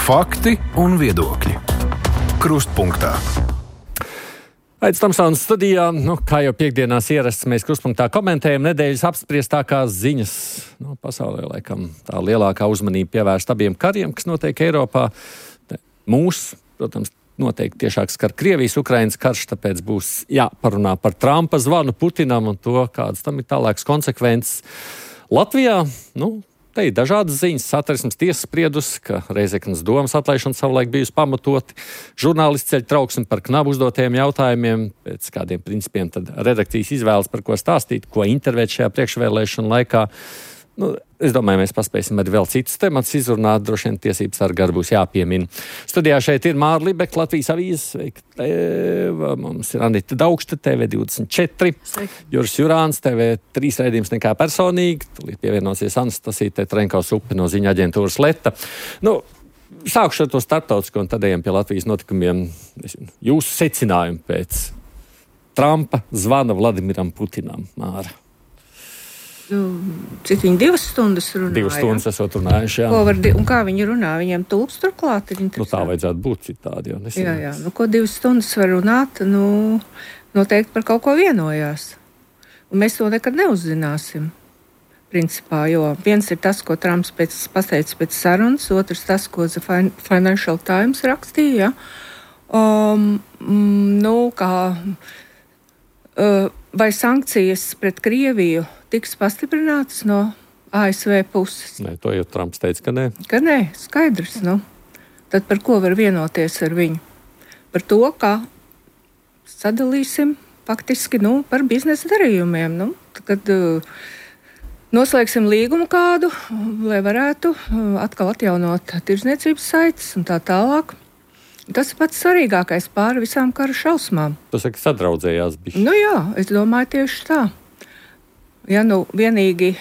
Fakti un viedokļi. Krustpunktā. Aits Tamsons studijā. Kā jau piekdienās ierasts, mēs Krustpunktā komentējam nedēļas apspriestākās ziņas. Pasaulē laikam tā lielākā uzmanība pievērsta abiem kariem, kas notiek Eiropā. Mūs, protams, noteikti tiešāk skar Krievijas-Ukrainas karš, tāpēc būs jāparunā par Trumpa zvanu Putinam un to, kādas tam ir tālākas konsekvences. Latvijā, te ir dažādas ziņas. Satversmes tiesa spriedusi, ka Reizeknas domas atlaišana savulaik bijusi pamatoti. Žurnālisti ceļ trauksmi par knabu uzdotajiem jautājumiem. Pēc kādiem principiem tad redakcijas izvēles, par ko stāstīt, ko intervēt šajā priekšvēlēšanu laikā. Es domāju, mēs paspēsim arī vēl citus tematus izrunāt. Droši vien tiesības sargi arī būs jāpiemina. Studijā šeit ir Māra Libeka, Latvijas avīzes. Mums ir Anita Daugšta, TV24. Juris Jurāns, TV3 raidījums Nekā personīgi. Tūlīt pievienosies Anastasija Tetrenkaus-Upe no ziņa aģentūras Leta. Sākšu ar to starptautisko un tad ejam pie Latvijas notikumiem. Jūsu secinājumi pēc Trumpa zvana Vladimiram Putinam, Māra. Cik viņi 2 stundas runāja? 2 stundas esot runājuši, jā. Un kā viņi runā? Viņiem tulps turklāt ir interesanti. Tā vajadzētu būt citādi, jo nesanāks. Jā. Ko 2 stundas var runāt? Noteikti par kaut ko vienojās. Un mēs to nekad neuzzināsim. Principā, jo viens ir tas, ko Trumps pateica pēc sarunas, otrs tas, ko The Financial Times rakstīja. Vai sankcijas pret Krieviju tiks pastiprinātas no ASV puses? Nē, to jau Trumps teica, ka nē. Ka nē, skaidrs. Tad par ko var vienoties ar viņu? Par to, kā sadalīsim faktiski par biznesa darījumiem. Kad noslēgsim līgumu kādu, lai varētu atkal atjaunot tirdzniecības saites un tā tālāk. Tas ir pats svarīgākais pāri visām kara šausmām. Tu saki, sadraudzējās bišķi. Jā, es domāju tieši tā. Ja vienīgi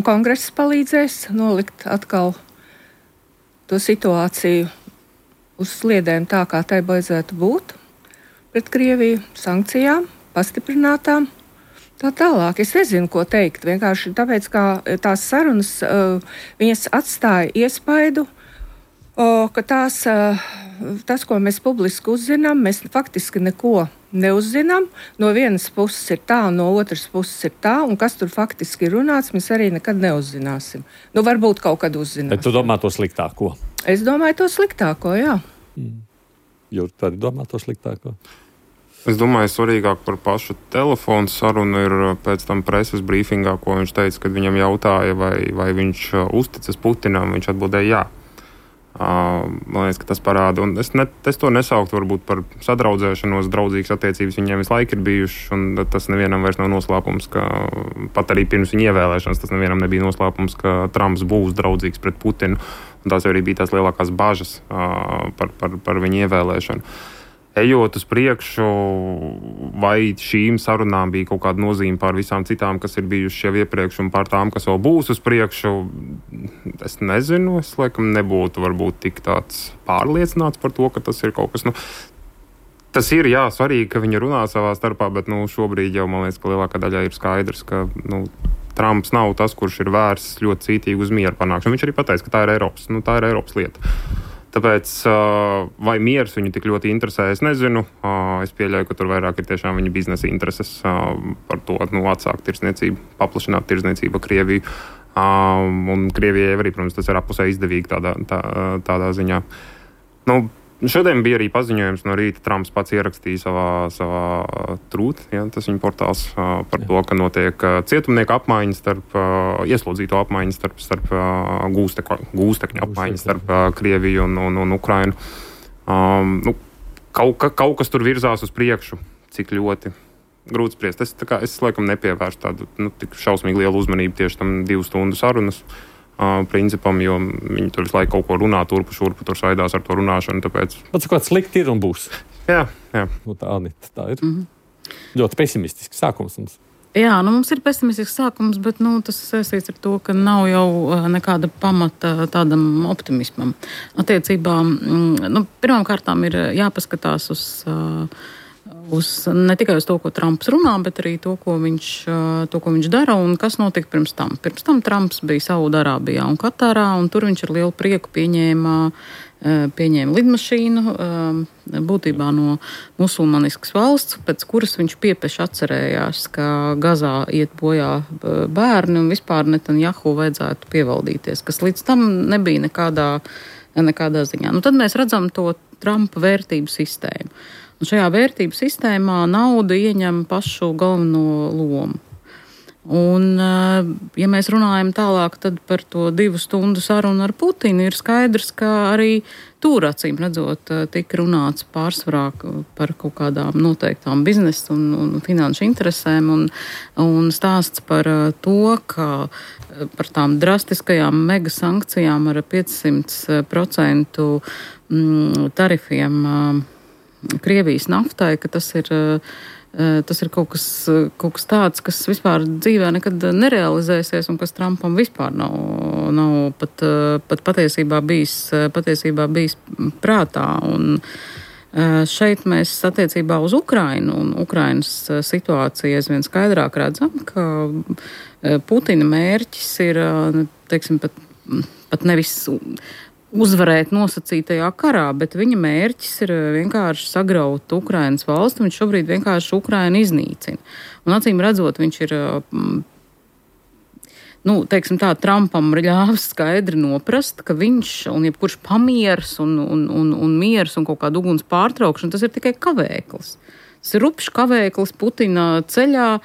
kongress palīdzēs nolikt atkal to situāciju uz sliedēm tā, kā tai baidzētu būt pret Krieviju, sankcijām, pastiprinātām, tā tālāk. Es nezinu, ko teikt. Vienkārši tāpēc, ka tās sarunas viņas atstāja iespaidu, ka tas, ko mēs publiski uzzinām, mēs faktiski neko neuzzinām. No vienas puses ir tā, un no otras puses ir tā, un kas tur faktiski ir runāts, mēs arī nekad neuzzināsim. Varbūt kaut kad uzzināsim. Bet tu domā to sliktāko? Es domāju to sliktāko, jā. Jūri, tu arī domā to sliktāko? Es domāju, svarīgāk par pašu telefonu sarunu ir pēc tam preses brīfingā, ko viņš teica, kad viņam jautāja, vai viņš uzticas Putinam, viņš atbildēja jā. Man liekas, ka tas parāda, un es to nesauktu varbūt par sadraudzēšanos, draudzīgas attiecības viņiem visu laiku ir bijušas, un tas nevienam vairs nav noslēpums, ka pat arī pirms viņa ievēlēšanas tas nevienam nebija noslēpums, ka Trumps būs draudzīgs pret Putinu, un tās arī bija tās lielākās bažas par viņa ievēlēšanu. Ejot uz priekšu, vai šīm sarunām bija kaut kāda nozīme pār visām citām, kas ir bijušas jau iepriekš, un pār tām, kas vēl būs uz priekšu, es nezinu. Es laikam nebūtu varbūt tik tāds pārliecināts par to, ka tas ir kaut kas. Tas ir, svarīgi, ka viņi runā savā starpā, bet šobrīd jau man liekas, ka lielākā daļā ir skaidrs, ka Trumps nav tas, kurš ir vērsts ļoti cītīgi uz mieru panākšanu. Viņš arī pateica, ka tā ir Eiropas lieta. Tāpēc, vai miers viņu tik ļoti interesē, es nezinu. Es pieļauju, ka tur vairāk ir tiešām viņa biznesa intereses par to atsākt tirdzniecību, paplašināt tirdzniecību ar Krieviju. Un Krievijai arī, protams, tas ir apusē izdevīgi tādā ziņā. Šodien bija arī paziņojums no rīta. Trumps pats ierakstīja savā Truth, tas viņa portāls, par to, ka notiek cietumnieku apmaiņas ieslodzīto apmaiņas starp gūstekņu apmaiņas starp Krieviju un Ukrainu. Kaut kas tur virzās uz priekšu, cik ļoti grūti spriest. Es laikam nepievērstu tādu tik šausmīgi lielu uzmanību tieši tam 2 stundu sarunas principam, jo viņi tur visu laiku kaut ko runā, turpu šurpu, tur saidās ar to runāšanu, tāpēc... Pats kaut slikti ir un būs. Jā. Tā, Anita, tā ir. Ļoti pesimistisks sākums mums. Jā, mums ir pesimistisks sākums, bet tas saistīts ar to, ka nav jau nekāda pamata tādam optimismam. Attiecībā, pirmām kārtām ir jāpaskatās ne tikai uz to, ko Trumps runā, bet arī to, ko viņš dara un kas notika pirms tam. Pirms tam Trumps bija Saudārābijā un Katārā, un tur viņš ar lielu prieku pieņēma lidmašīnu, būtībā no musulmaniskas valsts, pēc kuras viņš piepeši atcerējās, ka Gazā iet bojā bērni un vispār Netanjahu vajadzētu pievaldīties, kas līdz tam nebija nekādā ziņā. Tad mēs redzam to Trumpa vērtību sistēmu. Un šajā vērtību sistēmā nauda ieņem pašu galveno lomu. Un, ja mēs runājam tālāk tad par to 2 stundu sarunu ar Putinu, ir skaidrs, ka arī tur, acīm redzot, tika runāts pārsvarā par kaut kādām noteiktām biznesa un finanšu interesēm un stāsts par to, ka par tām drastiskajām mega sankcijām ar 500% tarifiem Krievijas naftai, ka tas ir kaut kas tāds, kas vispār dzīvē nekad nerealizēsies un kas Trumpam vispār nav pat patiesībā bijis prātā. Un šeit mēs attiecībā uz Ukrainu un Ukrainas situāciju aizvien skaidrāk redzam, ka Putina mērķis ir, teiksim, pat nevis uzvarēt nosacītajā karā, bet viņa mērķis ir vienkārši sagraut Ukrainas valsti, viņš šobrīd vienkārši Ukrainu iznīcina. Un acīm redzot, viņš ir, teiksim tā, Trumpam ļāvis skaidri noprast, ka viņš un jebkurš pamieris un miers un kaut kāda uguns pārtraukšana, tas ir tikai kavēklis. Tas ir rupšs kavēklis Putina ceļā,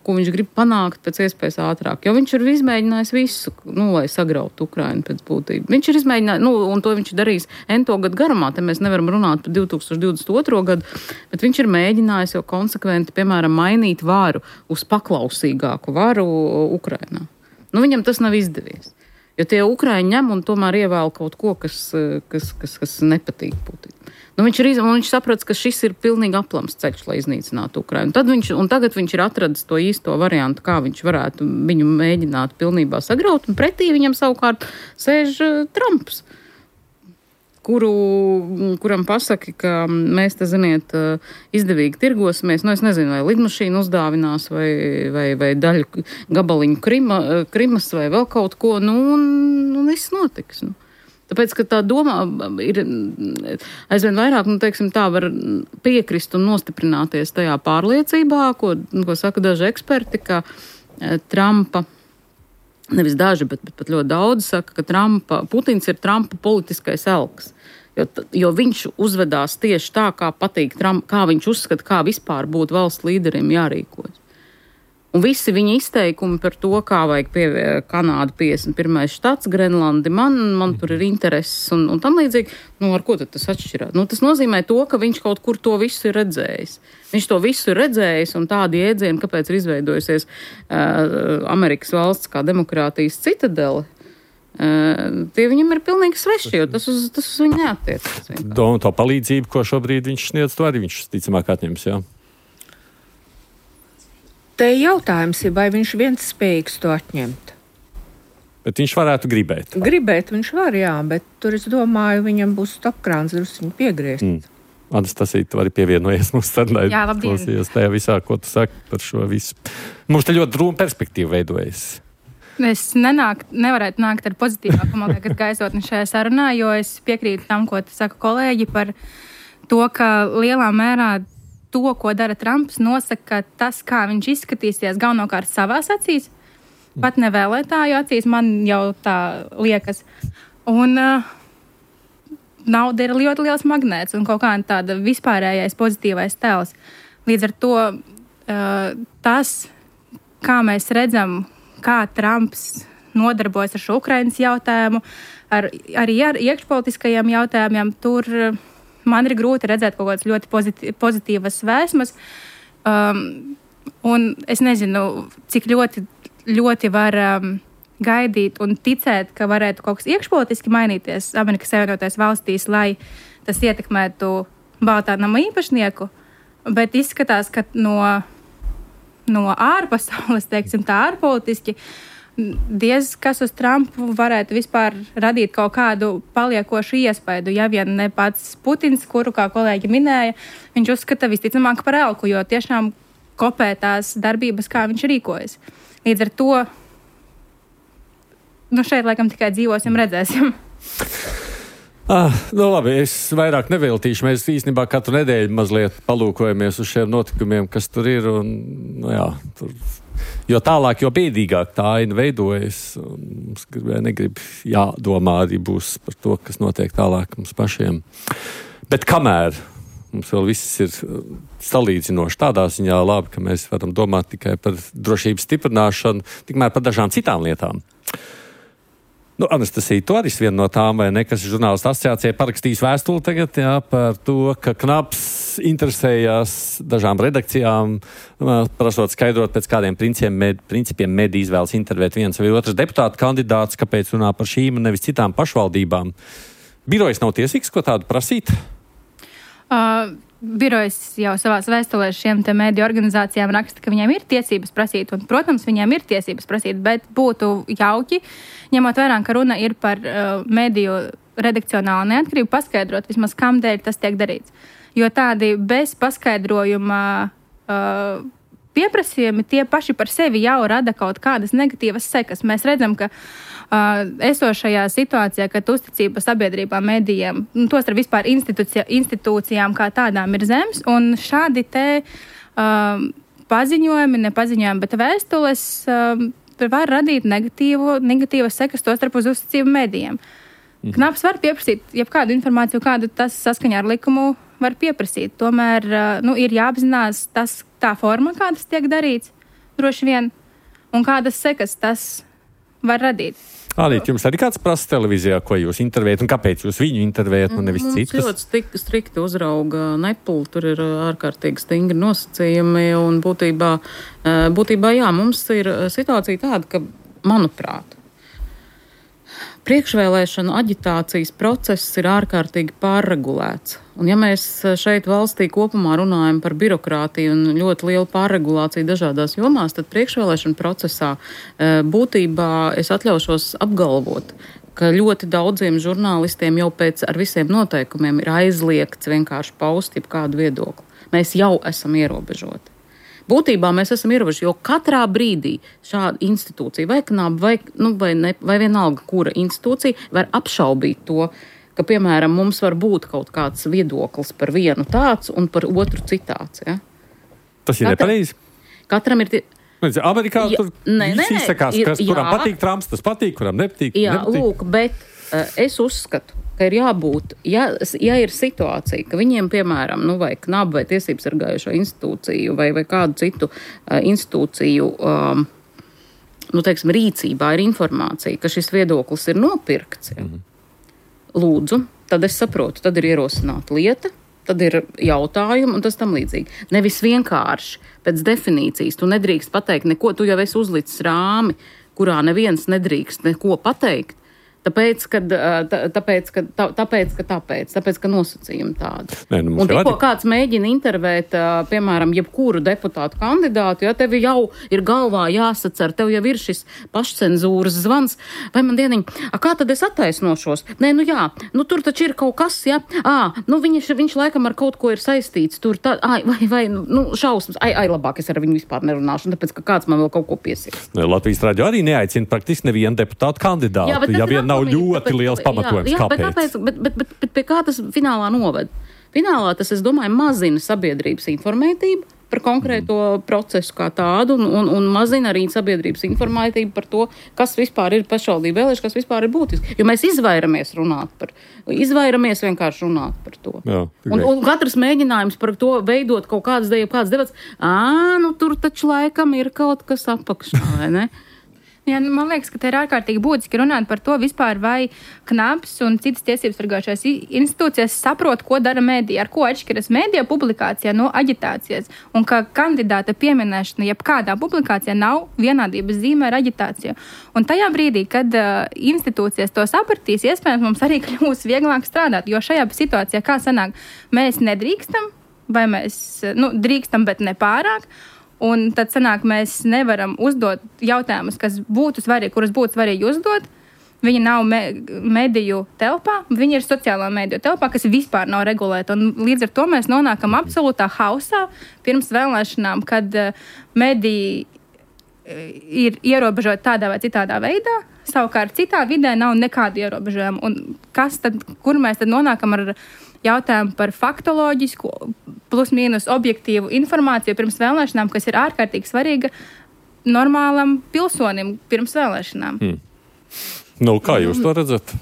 ko viņš grib panākt pēc iespējas ātrāk. Jo viņš ir izmēģinājis visu, lai sagrautu Ukrainu pēc būtības. Viņš ir izmēģinājis, un to viņš darīs ento gadu garumā, te mēs nevaram runāt par 2022. Gadu, bet viņš ir mēģinājis jau konsekventi, piemēram, mainīt varu uz paklausīgāku varu Ukrainā. Viņam tas nav izdevies. Jo tie Ukraiņi ņem un tomēr ievēl kaut ko, kas nepatīk Putinam. Viņš saprats, ka šis ir pilnīgi aplams ceļš, lai iznīcinātu Ukrainu. Tagad viņš ir atradis to īsto variantu, kā viņš varētu viņu mēģināt pilnībā sagraut, un pretī viņam savukārt sēž Trumps, kuram pasaka, ka mēs te, ziniet, izdevīgi tirgosimies. Es nezinu, vai lidmašīnu uzdāvinās, vai daļu gabaliņu Krimas, vai vēl kaut ko, un viss notiks. Tāpēc, ka tā domā ir aizvien vairāk, teiksim, tā var piekrist un nostiprināties tajā pārliecībā, ko saka daži eksperti, ka Trumpa, nevis daži, bet pat ļoti daudz saka, ka Putins ir Trumpa politiskais elks. Jo viņš uzvedās tieši tā, kā patīk Trump, kā viņš uzskata, kā vispār būtu valsts līderim jārīkojas. Un visi viņa izteikumi par to, kā vajag Kanāda 51. štats, Grenlandi, man tur ir intereses un tam līdzīgi, ar ko tad tas atšķirās? Tas nozīmē to, ka viņš kaut kur to visu ir redzējis. Viņš to visu ir redzējis un tādi jēdzieni, kāpēc ir izveidojusies Amerikas valsts kā demokrātijas citadele, tie viņam ir pilnīgi sveši, jo tas uz viņu neattiecas. To palīdzību, ko šobrīd viņš sniedz, to arī viņš ticamāk atņems, jā? Te jautājums ir, vai viņš viens spējīgs to atņemt. Bet viņš varētu gribēt. Gribēt viņš var, jā, bet tur es domāju, viņam būs stopkrāns drusciņu piegriezt. Anastasija, tu arī pievienojies mums sarunai. Jā, labdien. Klausies tajā visā, ko tu saki par šo visu. Mums te ļoti drūma perspektīva veidojas. Es nevarētu nākt ar pozitīvāku, man liekas, gaisotni šajā sarunā, jo es piekrītu tam, ko saka kolēģi par to, ka lielā mērā to, ko dara Trumps, nosaka tas, kā viņš izskatīsies galvenokārt savās acīs, pat ne vēlētāju acīs, man jau tā liekas. Un nauda ir ļoti liels magnēts un kaut kā tāda vispārējais pozitīvais tēls. Līdz ar to tas, kā mēs redzam, kā Trumps nodarbojas ar šo Ukrainas jautājumu, arī ar iekšpolitiskajiem jautājumiem, tur man ir grūti redzēt kaut kādas ļoti pozitīvas vēsmas. Un es nezinu, cik ļoti var gaidīt un ticēt, ka varētu kaut kas iekšpolitiski mainīties Amerikas Savienotajās valstīs, lai tas ietekmētu Baltā nama īpašnieku. Bet izskatās, ka no ārpasaules, teiksim tā ārpolitiski, diez kas uz Trumpu varētu vispār radīt kaut kādu paliekošu iespaidu, ja vien ne pats Putins, kuru, kā kolēģi minēja, viņš uzskata visticamāk par elku, jo tiešām kopē tās darbības, kā viņš rīkojas. Līdz ar to, šeit laikam tikai dzīvosim, redzēsim. Labi, es vairāk neveltīšu. Mēs īstenībā katru nedēļu mazliet palūkojamies uz šiem notikumiem, kas tur ir. Un, jo tālāk, jo bēdīgāk tā aina veidojas. Mums negrib jādomā arī būs par to, kas notiek tālāk mums pašiem. Bet kamēr mums vēl viss ir salīdzinoši tādā ziņā labi, ka mēs varam domāt tikai par drošības stiprināšanu, tikmēr par dažām citām lietām. Anastasija, tu arī viena no tām, vai ne, kas žurnālistu asociācijai parakstīs vēstuli tagad, par to, ka Knaps interesējās dažām redakcijām, prasot skaidrot, pēc kādiem principiem mediji izvēlas intervēt viens vai otrs deputātu kandidāts, kāpēc runā par šīm un nevis citām pašvaldībām. Birojas nav tiesīgs, ko tādu prasīt? Birojas jau savās vēstulēs šiem te mediju organizācijām raksta, ka viņiem ir tiesības prasīt, un, protams, viņiem ir tiesības prasīt, bet būtu jauki, ņemot vērā, ka runa ir par mediju redakcionālu neatkarību, paskaidrot vismaz, kam dēļ tas tiek darīts. Jo tādi bez paskaidrojuma pieprasījumi tie paši par sevi jau rada kaut kādas negatīvas sekas. Mēs redzam, ka esošajā situācijā, kad uzticība sabiedrībā medijiem, tos ar vispār institūcijām kā tādām ir zems, un šādi te paziņojumi, nepaziņojumi, bet vēstules var radīt negatīvas sekas tos starp uz uzticību medijiem. Knaps var pieprasīt jebkādu informāciju, kādu tas saskaņā ar likumu var pieprasīt. Tomēr ir jāapzinās tā forma, kā tas tiek darīts, droši vien, un kādas sekas tas var radīt. Alīt, jums arī kāds prasa televīzijā, ko jūs intervējat, un kāpēc jūs viņu intervējat, un nevis citus? Mums ļoti strikti uzrauga Nepal, tur ir ārkārtīgi stingri nosacījumi, un būtībā jā, mums ir situācija tāda, ka, manuprāt, priekšvēlēšanu aģitācijas process ir ārkārtīgi pārregulēts. Un ja mēs šeit valstī kopumā runājam par birokrātiju un ļoti lielu pārregulāciju dažādās jomās, tad priekšvēlēšanu procesā būtībā es atļaušos apgalvot, ka ļoti daudziem žurnālistiem jau pēc ar visiem noteikumiem ir aizliegts vienkārši paust jebkādu viedokli. Mēs jau esam ierobežoti. Būtībā mēs esam ierobežoti, jo katrā brīdī šāda institūcija vai Knaba vai vienalga, kura institūcija var apšaubīt to, ka, piemēram, mums var būt kaut kāds viedoklis par vienu tāds un par otru citāds. Ja? Tas ir nepareizi? Katram ir... Amerikā tur izsakās, kuram patīk Trumps, tas patīk, kuram nepatīk. Jā, lūk, bet es uzskatu, ka ir jābūt, ja ir situācija, ka viņiem, piemēram, vai Knaba vai tiesības sargājošo institūciju vai kādu citu institūciju, rīcībā ir informācija, ka šis viedoklis ir nopirkts, lūdzu, tad es saprotu, tad ir ierosināta lieta, tad ir jautājumi un tas tam līdzīgi. Nevis vienkārši pēc definīcijas, tu nedrīkst pateikt neko, tu jau esi uzlicis rāmi, kurā neviens nedrīkst neko pateikt. Tāpēc, ka nosacījumi tādi. Un tikko kāds mēģina intervēt, piemēram, jebkuru deputātu kandidātu, ja tev jau ir galvā jāsacer, tev jau ir šis pašcenzūras zvans, vai man dieniņ, kā tad es attaisnošos? Nē, tur taču ir kaut kas, ja, viņš laikam ar kaut ko ir saistīts, tur tā, šausmas, labāk es ar viņu vispār nerunāšu, tāpēc, ka kāds man vēl kaut ko piesīs. Latvijas radio arī neaicina praktiski nevienu deputātu kandidātu, ja vien nav ļoti liels pamatojums, kāpēc. Bet pie kā tas finālā noved? Finālā tas, es domāju, mazina sabiedrības informētību par konkrēto procesu kā tādu un mazina arī sabiedrības informētību par to, kas vispār ir pašvaldību vēlēšana, kas vispār ir būtiski. Jo mēs izvairamies vienkārši runāt par to. Jā, un katrs mēģinājums par to veidot kaut kādas debats, tur taču laikam ir kaut kas apakšā, vai ne? Jā, man liekas, ka te ir ārkārtīgi būtiski runāt par to vispār, vai Knaps un citas tiesības sargājušās institūcijas saprot, ko dara medija, ar ko atšķiras medija publikācijā no aģitācijas, un ka kandidāta pieminēšana jebkādā publikācijā nav vienādības zīme ar aģitāciju. Un tajā brīdī, kad institūcijas to sapratīs, iespējams, mums arī kļūs vieglāk strādāt, jo šajā situācijā, kā sanāk, mēs nedrīkstam, vai mēs drīkstam, bet ne pārāk. Un tad sanāk, mēs nevaram uzdot jautājumus, kas būtu svarīgi, kurus būtu svarīgi uzdot. Viņi nav mediju telpā, viņi ir sociālā mediju telpā, kas vispār nav regulēta. Un līdz ar to mēs nonākam absolūtā hausā pirms vēlēšanām, kad mediji ir ierobežoti tādā vai citādā veidā. Savukārt citā vidē nav nekādu ierobežojumu. Un kur mēs tad nonākam ar jautājumu par faktoloģisku, plus mīnus objektīvu informāciju pirms vēlēšanām, kas ir ārkārtīgi svarīga normālam pilsonim pirms vēlēšanām. Kā jūs to redzat?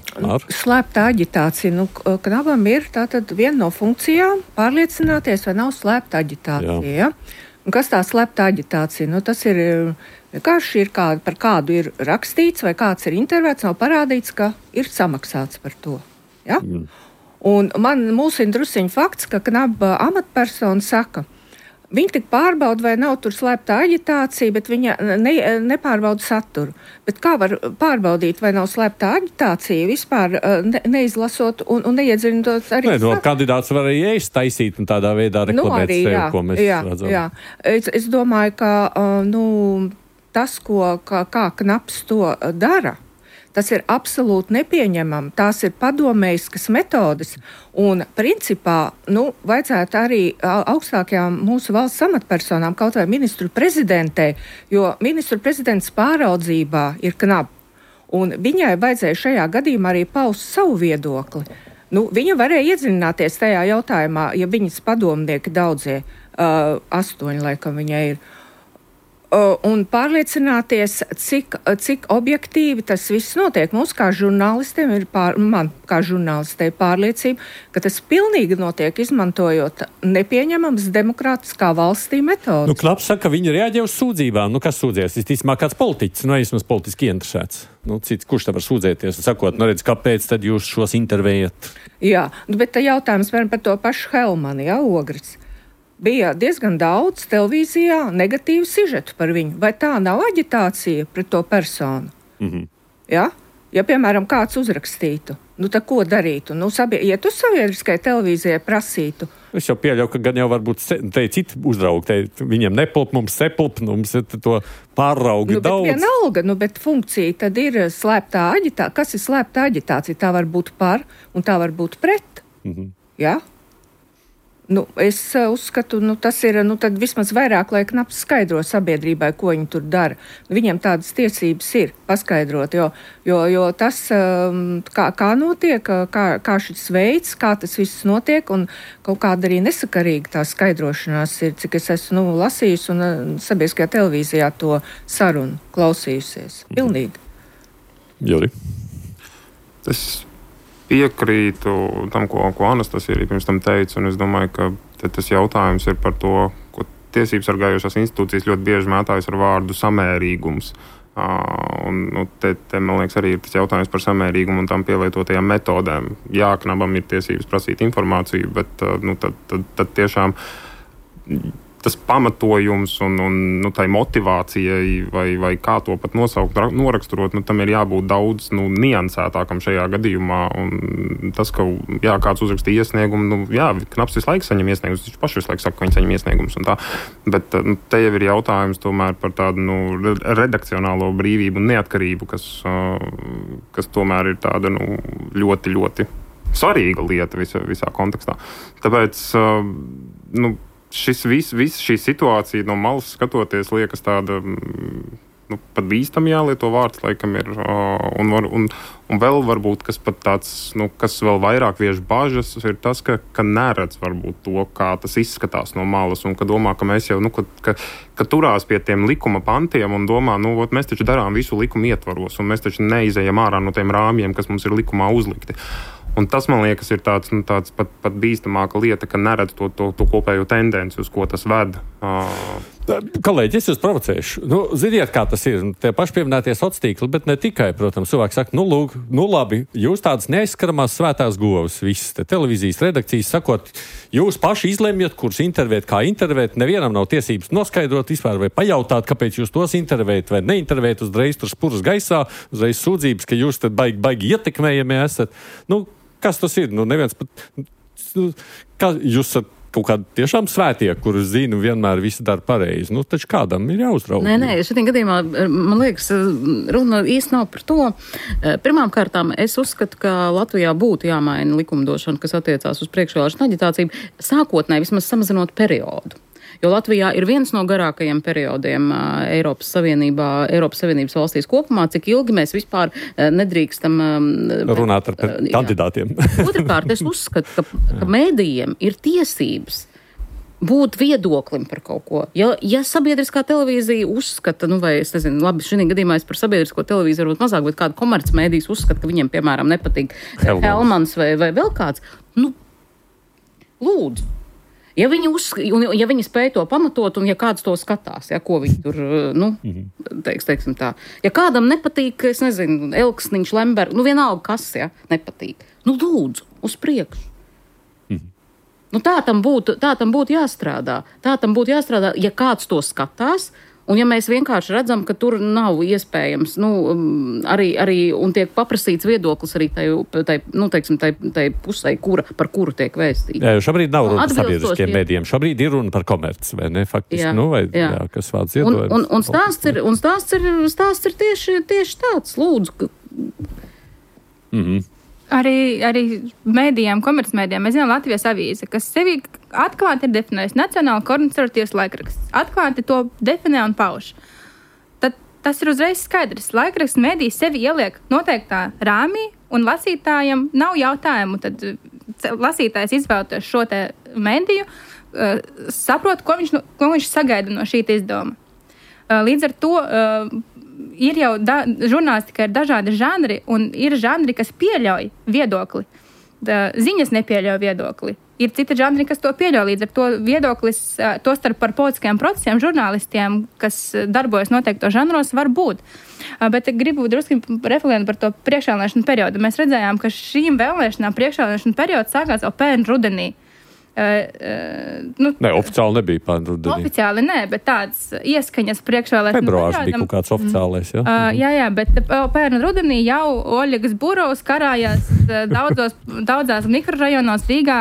Slēpta aģitācija. Knabam ir tātad viena no funkcijām pārliecināties, vai nav slēpta aģitācija. Ja? Un kas tā slēpta aģitācija? Tas ir vienkārši par kādu ir rakstīts, vai kāds ir intervēts, nav parādīts, ka ir samaksāts par to. Ja? Un man mulsina drusciņu fakts, ka Knaba amatpersona saka, viņa tik pārbauda, vai nav tur slēpta aģitācija, bet viņa nepārbauda saturu. Bet kā var pārbaudīt, vai nav slēpta aģitācija, vispār neizlasot un neiedziļinot arī saturu? Kandidāts var arī ēst taisīt un tādā veidā reklamēt sevi, ko mēs redzam. Jā. Es domāju, ka tas, kā Knabs to dara, tas ir absolūti nepieņemami. Tās ir padomējiskas metodes. Un, principā, vajadzētu arī augstākajām mūsu valsts amatpersonām, kaut vai ministru prezidentei, jo ministru prezidents pāraudzībā ir Knab. Un viņai vajadzēja šajā gadījumā arī paust savu viedokli. Viņa varēja iedziļināties tajā jautājumā, ja viņas padomnieki daudzie, 8 laikam viņai ir, un pārliecināties, cik objektīvi tas viss notiek. Mums kā žurnālistiem man kā žurnālistei pārliecība, ka tas pilnīgi notiek izmantojot nepieņemams demokrātiskā valstī metodas. Knabs saka, ka viņi reaģē uz sūdzībām. Kas sūdzies? Visticamāk kāds politiķis, vismaz politiski interesēts. Cits, kurš te var sūdzēties? Sakot, redz, kāpēc tad jūs šos intervējat? Jā, bet jautājums par to pašu Helmani, Ogris. Bija diezgan daudz televīzijā negatīvu sižetu par viņu. Vai tā nav aģitācija pret to personu? Ja? Ja, piemēram, kāds uzrakstītu, tad ko darītu? Ja tu sabiedriskai televīzijai prasītu. Es jau pieļauju, ka gan jau varbūt te citi uzraugi, viņiem nepilp, mums sepilp, mums ir to pārraugi daudz. Vienalga, bet funkcija tad ir slēptā aģitācija. Kas ir slēptā aģitācija? Tā var būt par un tā var būt pret. Ja? Es uzskatu, tas ir, tad vismaz vairāk, lai Knabs skaidro sabiedrībai, ko viņi tur dara. Viņiem tādas tiesības ir paskaidrot, jo tas, kā notiek, kā šis veids, kā tas viss notiek, un kaut kāda arī nesakarīga tā skaidrošanās ir, cik es esmu lasījusi un sabiedriskajā televīzijā to sarunu klausījusies. Pilnīgi. Juri? Tas piekrītu tam, ko Anastasija arī pirms tam teica, un es domāju, ka tas jautājums ir par to, ko tiesības sargājošās institūcijas ļoti bieži mētājas ar vārdu samērīgums. Te, man liekas, arī ir tas jautājums par samērīgumu un tam pielietotajām metodēm. Jā, Knabam ir tiesības prasīt informāciju, bet tad tiešām tas pamatojums un tai motivācijai vai kā to pat nosaukt, noraksturot, tam ir jābūt daudz niansētākam šajā gadījumā. Un tas, ka kāds uzrakstīja iesniegumu, Knabs visu laiku saņem iesniegumus, viņš paši visu laiku saka, ka viņi saņem iesniegumus un tā. Bet te jau ir jautājums tomēr par tādu redakcionālo brīvību un neatkarību, kas tomēr ir tāda ļoti, ļoti svarīga lieta visā kontekstā. Tāpēc, šī situācija no malas skatoties liekas tāda, pat bīstami jālieto vārds, laikam ir, un vēl varbūt, kas pat tāds, kas vēl vairāk vieš bažas, ir tas, ka neredz varbūt to, kā tas izskatās no malas, un ka domā, ka mēs jau, ka turās pie tiem likuma pantiem un domā, mēs taču darām visu likumu ietvaros, un mēs taču neizejam ārā no tiem rāmjiem, kas mums ir likumā uzlikti. Un tas, man liekas, ir tāds pat bīstamāka lieta, ka neredz to kopējo tendenci, uz ko tas ved. Kolēģi, es jūs provocēšu. Ziniet, kā tas ir. Tie paši pieminētie sociālie tīkli, bet ne tikai, protams, cilvēki saka, labi, jūs tādas neaizskaramās svētās govs, visas te televīzijas redakcijas, sakot, jūs paši izlemjat, kurus intervēt, kā intervēt, nevienam nav tiesības noskaidrot vispār vai pajautāt, kāpēc jūs tos intervējat vai neintervējat, uzreiz tur spuras gaisā, uzreiz sūdzības, ka jūs tad baigi ietekmējami esat. Kas tas ir? Neviens pat, kā jūs esat kaut kādi tiešām svētie, kurus zinu, vienmēr visi dara pareizi. Nu, taču kādam ir jāuzrauga. Nē, šitiem gadījumā, man liekas, runa īsti nav par to. Pirmām kārtām es uzskatu, ka Latvijā būtu jāmaina likumdošana, kas attiecās uz priekšvēlēšanu aģitāciju, sākotnēji vismaz samazinot periodu. Jo Latvijā ir viens no garākajiem periodiem Eiropas Savienības valstīs kopumā, cik ilgi mēs vispār nedrīkstam runāt ar kandidātiem. Otrakārt, es uzskatu, ka mēdījiem ir tiesības būt viedoklim par kaut ko. Ja sabiedriskā televīzija uzskata, vai es nezinu, labi, šī gadījumā es par sabiedrisko televīziju varbūt mazāk, bet kādu komercmēdijas uzskata, ka viņiem, piemēram, nepatīk Helmans vai vēl kāds, lūdzu. Ja viņi spēj to pamatot un ja kāds to skatās, ko viņi tur, teiksim tā. Ja kādam nepatīk, es nezinu, Elksniņš, Lemberg, vienalga kas, nepatīk. Lūdzu, uz priekšu. Tā tam būtu jāstrādā. Ja kāds to skatās, un ja mēs vienkārši redzam, ka tur nav iespējams, arī un tiek paprasīts viedoklis arī tai pusē, par kuru tiek vēstīts. Jā, jo šobrīd nav runa par sabiedriskiem mēdījiem. Šobrīd ir runa par komerci, vai ne? Faktiski, kas vārds iedojums. Un stāsts ir tieši tāds, lūdzu. Arī mēdījiem, komercmēdījiem, mēs zinām Latvijas avīze, kas sevi atklāti ir definējusi nacionāli konservatīvs laikraksts. Atklāti to definē un pauž. Tad tas ir uzreiz skaidrs. Laikraksts mēdī sevi ieliek noteiktā rāmī un lasītājiem nav jautājumu. Tad lasītājs izvēlēties šo te mēdīju, saprot, ko viņš sagaida no šī izdevuma. Līdz ar to ir jau žurnālistika ir dažādi žanri, un ir žanri, kas pieļauj viedokli. Ziņas nepieļauj viedokli. Ir citi žanri, kas to pieļauj, līdz ar to viedoklis, to starp par politiskajiem procesiem, žurnālistiem, kas darbojas noteikto žanros, var būt. Bet gribu drusku reflektēt par to priekšvēlēšanu periodu. Mēs redzējām, ka šīm vēlēšanām priekšvēlēšanu periods sākās jau pērn rudenī. Oficiāli nebija pērn rudenī. Oficiāli nē, bet tāds ieskaņas priekšvēlēšanu februārs bija kaut kāds oficiālais, jā, bet pērn rudenī jau Oļegas Burovs karājās daudzās mikrorajonos Rīgā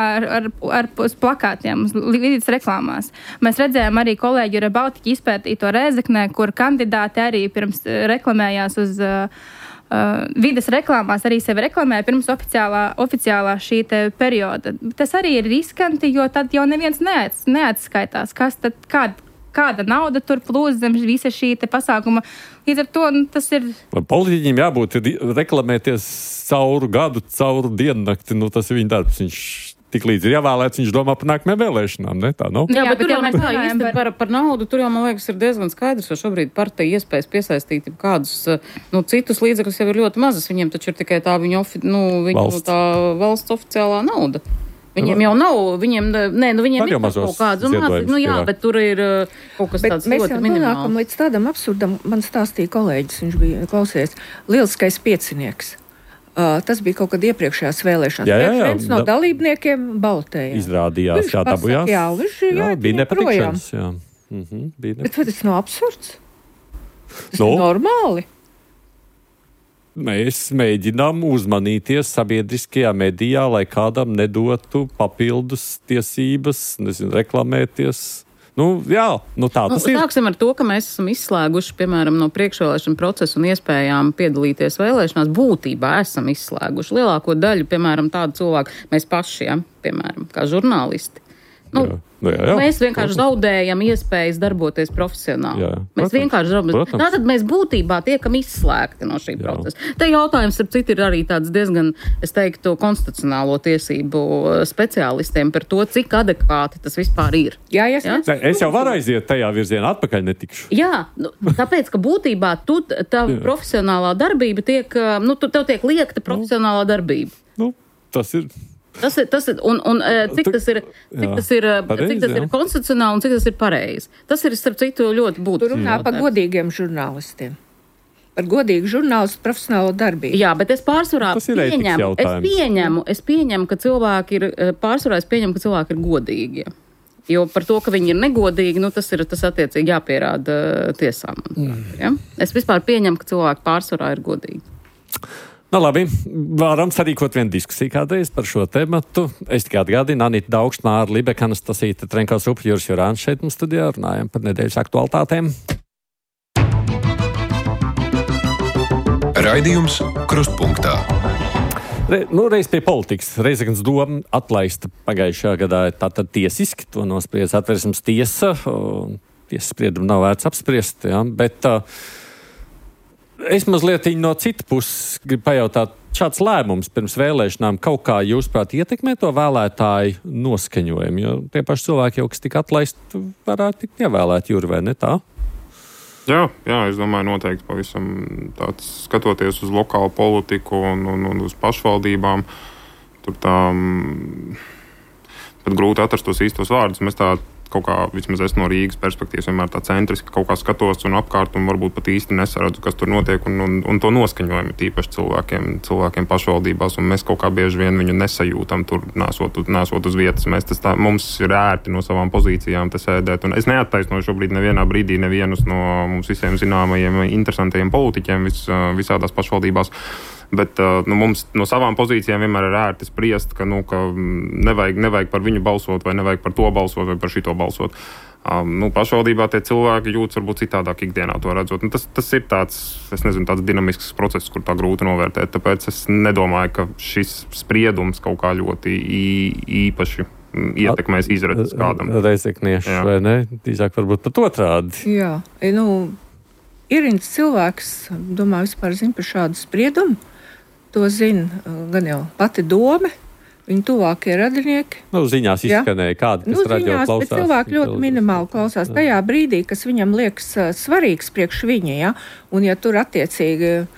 ar plakātiem, vidus reklāmās. Mēs redzējām arī kolēģi ar Baltiķu izpētīto Rēzeknē, kur kandidāti arī pirms reklamējās uz vides reklāmās, arī sevi reklamēja pirms oficiālā šī te perioda. Tas arī ir riskanti, jo tad jau neviens neatskaitās, kas tad, kāda nauda tur plūst zem visa šī te pasākuma. Līdz ar to tas ir... Politiķiem jābūt reklamēties cauru gadu, cauru diennakti, tas ir viņa darbs. Viņš tik līdz ir jāvēlēts, viņš domā par nākamajām vēlēšanām, ne tā, Jā, bet tur jau mēs īsti par naudu, tur jau, man liekas, ir diezgan skaidrs, jo šobrīd partija iespējas piesaistīt kādus, citus līdzekļus jau ir ļoti mazas, viņiem taču ir tikai tā viņu tā valsts oficiālā nauda. Viņiem jau nav, viņiem ir kaut kāds, bet tur ir kaut kas tāds ļoti minimāls. Mēs jau nonākam līdz tādam absurdam, man stāstīja kolēģis, viņš bija klausies, lieliskais piecinieks. Tas bija kaut kad iepriekšējās vēlēšanās. Viens no dalībniekiem baltēja. Izrādījās, dabujās. Jā, bija nepatikšanas. Bet tas nav absurds? Tas ir normāli. Mēs mēģinām uzmanīties sabiedriskajā medijā, lai kādam nedotu papildus tiesības, reklamēties. Tā tas ir. Sāksim ar to, ka mēs esam izslēguši, piemēram, no priekšvēlēšana procesa un iespējām piedalīties vēlēšanās. Būtībā esam izslēguši lielāko daļu, piemēram, tādu cilvēku, mēs paši, piemēram, kā žurnālisti. Mēs vienkārši zaudējam iespējas darboties profesionāli. Mēs vienkārši zaudējam. Tātad mēs būtībā tiekam izslēgti no šī procesa. Te jautājums, ar citu, ir arī tāds diezgan, es teiktu, konstitucionālo tiesību speciālistiem par to, cik adekvāti tas vispār ir. Es jau varu aiziet tajā virzienā, atpakaļ netikšu. Tāpēc, ka būtībā tā profesionālā darbība tiek, tev tiek liekta profesionālā darbība. Tas ir... Tas ir, cik tas ir konstitucionāli un cik tas ir pareizi. Tas ir, starp citu, ļoti būtiski. Tur runā par godīgiem žurnālistiem. Par godīgu žurnālistu profesionālo darbību. Jā, bet es pārsvarā pieņemu, ka cilvēki ir godīgi. Jo par to, ka viņi ir negodīgi, tas attiecīgi jāpierāda tiesām. Ja? Es vispār pieņemu, ka cilvēki pārsvarā ir godīgi. Nu, labi, varam sarīkot vienu diskusiju kādreiz par šo tematu. Es tikai atgādinu, Anita Daugšt, Māra Libeka, Anastasīta Trenkaus-Rupa, Juris Jurāns šeit mums studijā, runājam par nedēļas aktualitātēm. Raidījums Krustpunktā. Reiz pie politikas. Reizeknas doma atlaista pagājušajā gadā tātad tiesiski, to nospriedz Atversmes tiesa. Tiesas spriedumu nav vērts apspriest, ja, bet es mazliet no citas puses gribu pajautāt, šāds lēmums pirms vēlēšanām kaut kā, jūsuprāt, ietekmē to vēlētāju noskaņojumu, jo tie paši cilvēki jau, kas tika atlaisti, varētu tikt ievēlēti, Juri, vai ne tā? Jā, es domāju, noteikti pavisam tāds, skatoties uz lokālu politiku un uz pašvaldībām, tur tā pat grūti atrast tos īstos vārdus. Mēs tā kaut kā, vismaz es no Rīgas perspektīvas, vienmēr tā centriski kaut kā skatos un apkārt un varbūt pat īsti nesaredzu, kas tur notiek un to noskaņojumu tīpaši cilvēkiem pašvaldībās, un mēs kaut kā bieži vien viņu nesajūtam tur, nesot uz vietas. Mums ir ērti no savām pozīcijām te sēdēt, un es neattaisnoju šobrīd nevienā brīdī nevienus no mums visiem zināmajiem interesantajiem politiķiem visādās pašvaldībās. Bet mums no savām pozīcijām vienmēr ir ērti spriest, ka nevajag par viņu balsot, vai nevajag par to balsot, vai par šito balsot. Pašvaldībā tie cilvēki jūtas varbūt citādāk ikdienā to redzot. Tas ir tāds, tāds dinamisks process, kur tā grūti novērtēt. Tāpēc es nedomāju, ka šis spriedums kaut kā ļoti īpaši ietekmēs izredzes kādam. Reizeknieši, vai ne? Tīzāk varbūt pat otrādi. Jā, ierindis cilvēks, domāju, vispār zina par šādu spriedumu. To zina gan jau pati dome, viņa tuvākie radinieki. Ziņās izskanēja kādi, kas radio klausās. Bet cilvēki ļoti minimāli klausās tajā brīdī, kas viņam liekas svarīgs priekš viņa, ja? Un ja tur attiecīgi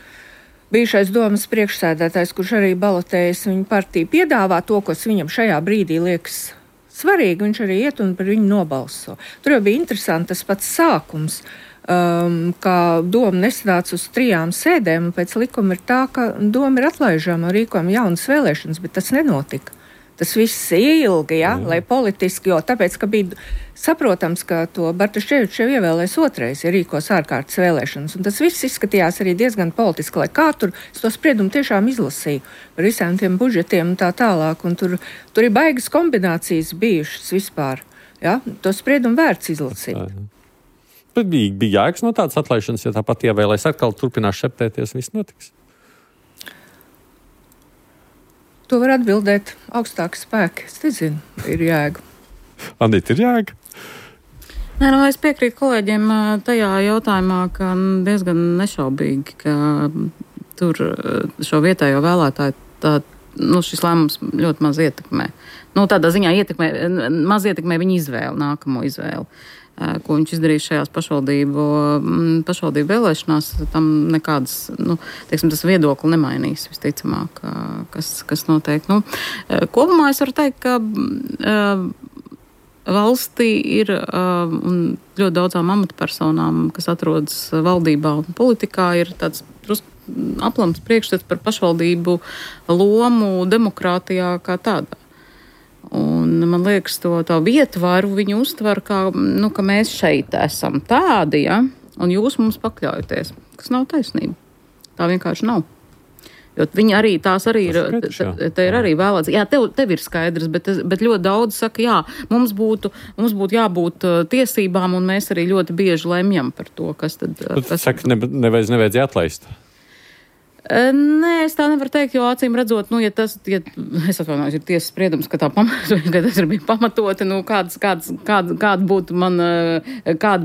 bijušais domas priekšsēdētājs, kurš arī balotējas viņa partiju, piedāvā to, kas viņam šajā brīdī liekas svarīgi, viņš arī iet un par viņu nobalso. Tur jau bija interesanti tas pats sākums, ka doma nesanāca uz 3 sēdēm, un pēc likuma ir tā, ka doma ir atlaižama un rīkojama jaunas vēlēšanas, bet tas nenotika. Tas viss ilgi, lai politiski, jo tāpēc, ka bija saprotams, ka to Bartaševiču jau ievēlēs otrais, ja rīkos ārkārtas vēlēšanas, un tas viss izskatījās arī diezgan politiski, lai kā tur es to spriedumu tiešām izlasīju par visiem tiem budžetiem un tā tālāk, un tur ir baigas kombinācijas bijušas vispār, to spriedumu vērts izlasīt. Bet bija jēgas no tādas atlaišanas, ja tāpat ievēlēs atkal turpinās šeptēties, viss notiks? To var atbildēt augstāki spēki. Es nezinu, ir jēga. Anita, ir jēga? Nē, es piekrītu kolēģiem tajā jautājumā, ka diezgan nešaubīgi, ka tur šo vietējo vēlētāju šis lēmums ļoti maz ietekmē. Tādā ziņā maz ietekmē viņa izvēli, nākamo izvēli. Ko viņš izdarīs šajās pašvaldību vēlēšanās, tam nekādas, tas viedokli nemainīs, visticamāk, kas notiek. Kopumā es varu teikt, ka valstī ir un ļoti daudzām amatpersonām, kas atrodas valdībā un politikā, ir tāds aplams priekšstats par pašvaldību lomu demokrātijā kā tādā. Un man liekas, to vietvaru viņi uztver, ka mēs šeit esam tādi, un jūs mums pakļaujaties, kas nav taisnība. Tā vienkārši nav. Jo viņi arī, tās arī ir, te ir arī vēlēts. Jā, tev ir skaidrs, bet ļoti daudz saka, mums būtu jābūt tiesībām, un mēs arī ļoti bieži lemjam par to, kas tad. Saka, nevajadzēja atlaist. Nē, es tā nevaru teikt, jo acīm redzot, es atvainojos, ir tiesas spriedums, ka tas ir bija pamatoti, kāda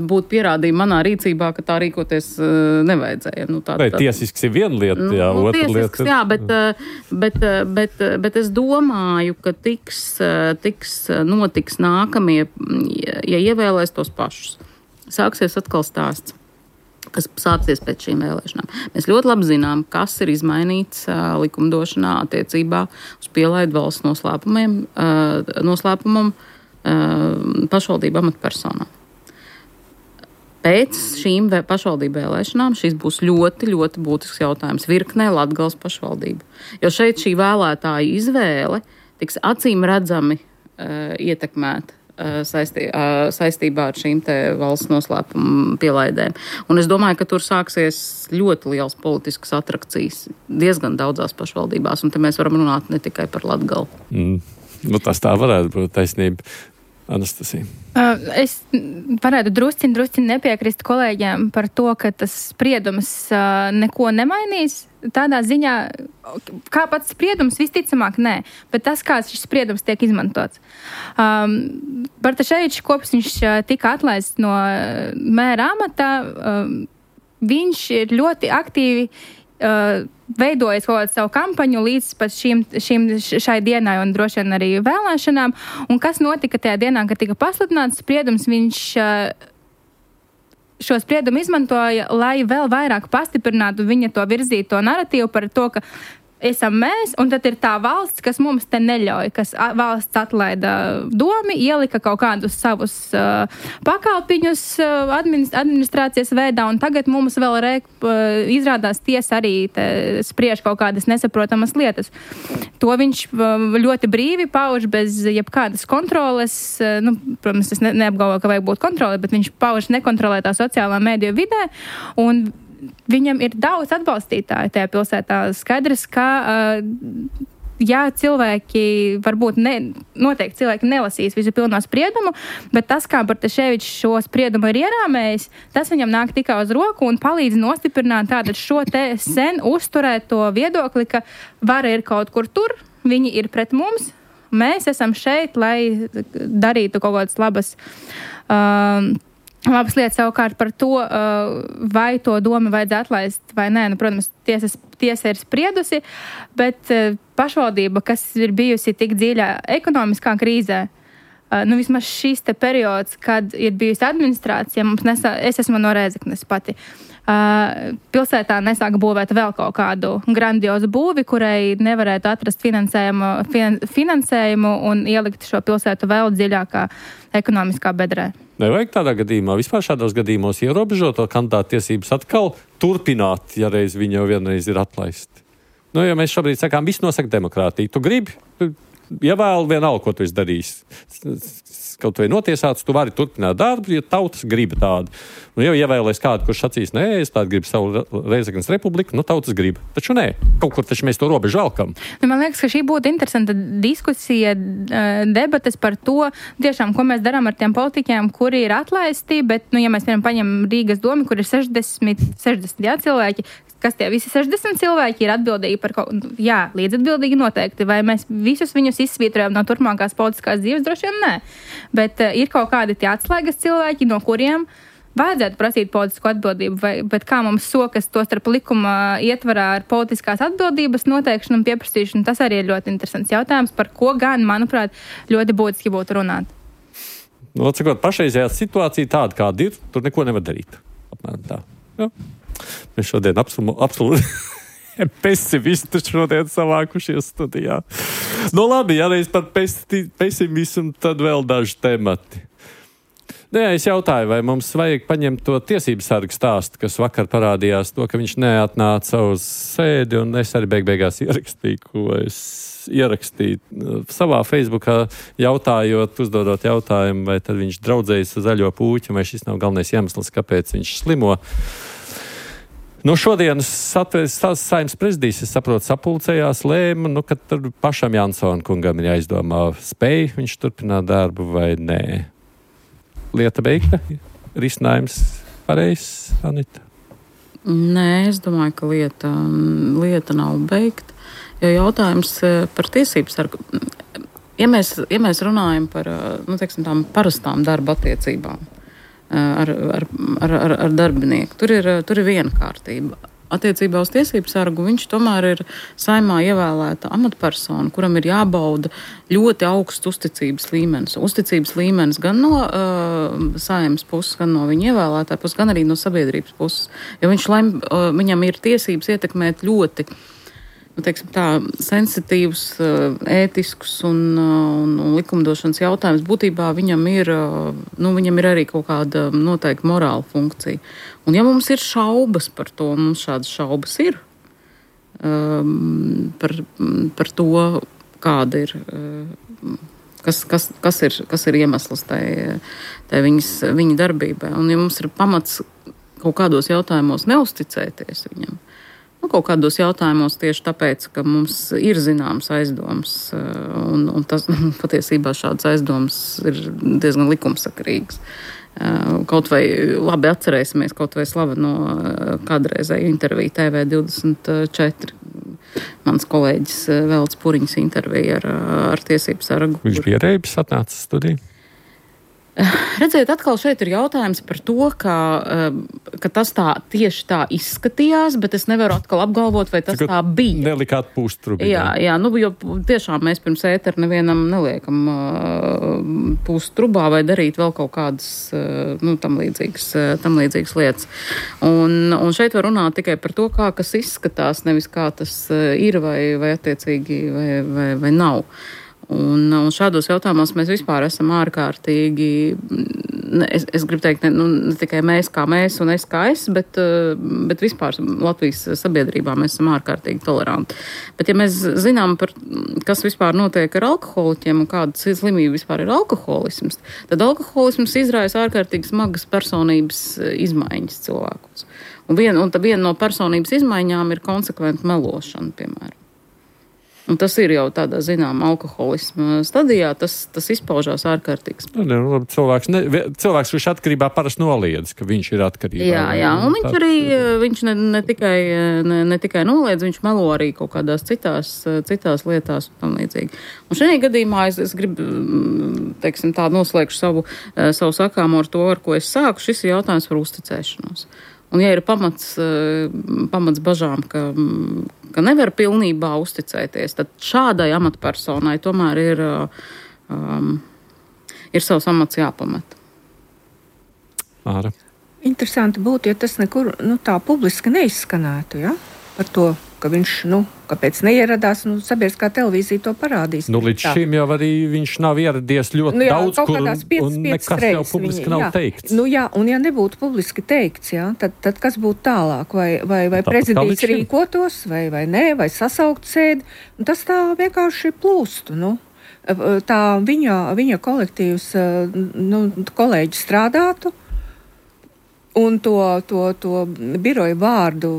būtu pierādījuma manā rīcībā, ka tā rīkoties nevajadzēja. Vai tiesisks ir viena lieta, otra lieta. Jā, bet es domāju, ka notiks nākamie, ja ievēlēs tos pašus. Sāksies atkal stāsts, kas sāksies pēc šīm vēlēšanām. Mēs ļoti labi zinām, kas ir izmainīts likumdošanā attiecībā uz pielaidu valsts noslēpumam pašvaldību amatpersonām. Pēc šīm pašvaldību vēlēšanām šis būs ļoti, ļoti būtisks jautājums virknē Latgales pašvaldību. Jo šeit šī vēlētāja izvēle tiks acīm redzami ietekmēta saistībā ar šīm te valsts noslēpuma pielaidēm. Un es domāju, ka tur sāksies ļoti liels politiskas atrakcijas diezgan daudzās pašvaldībās, un te mēs varam runāt ne tikai par Latgali. Nu, tas tā varētu būt taisnība. Anastasija. Es varētu drusciņ nepiekrist kolēģiem par to, ka tas spriedums neko nemainīs. Tādā ziņā, kā pats spriedums, visticamāk, nē, bet tas, kā šis spriedums tiek izmantots. Bartaševičs, kopš viņš tika atlaists no mēra amatā, viņš ir ļoti aktīvi veidojas kaut kādu savu kampaņu līdz pat šai dienai un droši vien arī vēlēšanām. Un kas notika tajā dienā, kad tika pasludināts spriedums, viņš šo spriedumu izmantoja, lai vēl vairāk pastiprinātu viņa to virzīto narratīvu par to, ka esam mēs, un tad ir tā valsts, kas mums te neļauj, kas valsts atlaida domi, ielika kaut kādus savus pakalpiņus administrācijas veidā, un tagad mums vēl izrādās tiesa arī spriež kaut kādas nesaprotamas lietas. To viņš ļoti brīvi pauž bez jebkādas kontroles. Nu, protams, es neapgalvoju, ka vajag būt kontrole, bet viņš pauž nekontrolētā sociālā mēdīju vidē, un viņam ir daudz atbalstītāju tajā pilsētā. Skaidrs, ka jā, cilvēki varbūt noteikti cilvēki nelasīs visu pilno spriedumu, bet tas, kā Bartaševičs šo spriedumu ir ierāmējis, tas viņam nāk tikai uz roku un palīdz nostiprināt tādu šo te sen uzturēto viedokli, ka vara ir kaut kur tur, viņi ir pret mums, mēs esam šeit, lai darītu kaut kādas labas lietas. Savukārt par to, vai to domu vajadzētu atlaist vai nē. Nu, protams, tiesa ir spriedusi, bet pašvaldība, kas ir bijusi tik dziļā ekonomiskā krīzē, nu vismaz šis te periods, kad ir bijusi administrācija, es esmu no Rēzeknes pati, pilsētā nesāka būvēt vēl kaut kādu grandiozu būvi, kurai nevarētu atrast finansējumu un ielikt šo pilsētu vēl dziļākā ekonomiskā bedrē. Nevajag tādā gadījumā, vispār šādos gadījumos ierobežot to kandidātu tiesības atkal turpināt, ja reiz viņi jau vienreiz ir atlaisti. Nu, ja mēs šobrīd sakām, viss nosaka demokrātiju. Tu gribi, ievēl vienalga, ko tu esi darījis. Kaut vai notiesāts, tu vari turpināt darbu, ja tautas grib tādu. Nu, jau ievēlēs kādu, kurš sacīs, nē, es tādu gribu savu Rēzeknes republiku, nu tautas grib. Taču nē, kaut kur taču mēs to robežu valkam. Nu, man liekas, ka šī būtu interesanta diskusija, debates par to, tiešām, ko mēs darām ar tiem politiķiem, kuri ir atlaisti, bet, nu, ja mēs paņemam Rīgas domu, kur ir 60 cilvēki, kas tie visi 60 cilvēki ir atbildīgi par kaut ko, jā, līdzatbildīgi noteikti, vai mēs visus viņus izsvītrojam no turpmākās politiskās dzīves, droši vien nē. Bet ir kaut kādi tie atslēgas cilvēki, no kuriem vajadzētu prasīt politisko atbildību, bet kā mums sokas to starp likuma ietvarā ar politiskās atbildības noteikšanu un pieprasīšanu, tas arī ir ļoti interesants jautājums, par ko gan, manuprāt, ļoti būtiski būtu runāt. Nu, atsakot, pašreizējā situācija tāda, kāda ir, tur neko nevar darīt. Apmēram tā. Jā. Mēs šodien absolūti pesimisti šodien savākušies studijā. Nu labi, ja reiz par pesimismu, tad vēl daži temati. Nē, es jautāju, vai mums vajag paņemt to tiesības sargu stāstu, kas vakar parādījās to, ka viņš neatnāca uz sēdi, un es arī beigās ierakstīju, ko es ierakstīju savā Facebookā, jautājot, uzdodot jautājumu, vai tad viņš draudzējas ar zaļo pūķi, vai šis nav galvenais iemesls, kāpēc viņš slimo. Nu, šodienas Saeimas prezidijs, es saprotu, sapulcējās, lēma, nu, ka tur pašam Jansona kungam ir jāizdomā, spēj viņš turpināt darbu vai nē. Lieta beigta? Risinājums pareizs, Anita? Nē, es domāju, ka lieta nav beigta. Jo jautājums par tiesības sargu. Ja mēs runājam par, nu, teiksim, tām parastām darba attiecībām ar darbinieku, tur ir viena kārtība. Attiecībā uz tiesību sargu viņš tomēr ir Saeimā ievēlēta amatpersona, kuram ir jābauda ļoti augsts uzticības līmenis. Uzticības līmenis gan no Saeimas puses, gan no viņa ievēlētāja puses, gan arī no sabiedrības puses. Jo viņam ir tiesības ietekmēt ļoti, nu, teiksim tā, sensitīvus, ētiskus un likumdošanas jautājumus. Būtībā viņam ir arī kaut kāda noteikta morāla funkcija. Un ja mums ir šaubas par to, mums šādas šaubas ir par to, kāda ir kas ir iemesls tai viņa darbībai. Un ja mums ir pamats kaut kādos jautājumos neusticēties viņam, kaut kādos jautājumos tieši tāpēc, ka mums ir zināms aizdoms, un tas patiesībā šāds aizdoms ir diezgan likumsakarīgs. Kaut vai labi atcerēsimies, kaut vai slaveno kādreizēju interviju TV24. Mans kolēģis Velts Puriņas intervija ar tiesību sargu. Viņš bija Reibis atnācis studiju? Redziet, atkal šeit ir jautājums par to, ka tas tieši tā izskatījās, bet es nevaru atkal apgalvot, vai tas tā bija. Nelikāt pūst trubī. Jā, jo tiešām mēs pirms ētera nevienam neliekam pūst trubā vai darīt vēl kaut kādas tam līdzīgas lietas. Un šeit var runāt tikai par to, kā kas izskatās, nevis kā tas ir vai attiecīgi vai nav. Un šādos jautājumos mēs vispār esam ārkārtīgi, es gribu teikt, ne tikai mēs kā mēs un es kā es, bet vispār Latvijas sabiedrībā mēs esam ārkārtīgi toleranti. Bet ja mēs zinām, kas vispār notiek ar alkoholiķiem un kāda slimība vispār ir alkoholisms, tad alkoholisms izraisa ārkārtīgi smagas personības izmaiņas cilvēkus. Un viena no personības izmaiņām ir konsekventa melošana, piemēram. Un tas ir jau tādā, alkoholisma stadijā, tas izpaužās ārkārtīgs. Cilvēks, kurš atkarībā parasti noliedz, ka viņš ir atkarībā. Jā, un viņš ne tikai noliedz, viņš melo arī kaut kādās citās lietās un tam līdzīgi. Un šajā gadījumā es gribu, teiksim tā, noslēgšu savu sakāmu ar to, ar ko es sāku. Šis ir jautājums par uzticēšanos. Un ja ir pamats bažām, ka nevar pilnībā uzticēties, tad šādai amatpersonai tomēr ir savs amats jāpamet. Māra. Interesanti būtu, ja tas nekur tā publiski neizskanētu, ja? Par to, ka viņš, kāpēc neieradās, sabiedriskā televīzija to parādīs. Līdz šim jau arī viņš nav ieradies ļoti daudz, kur un nekas jau publiski nav teikts. Un ja nebūtu publiski teikts, tad kas būtu tālāk? Vai prezidijs rīkotos, vai nē, vai sasaukt sēdi? Tas tā vienkārši plūstu, Tā viņa kolektīvs, kolēģi strādātu, un to biroju vārdu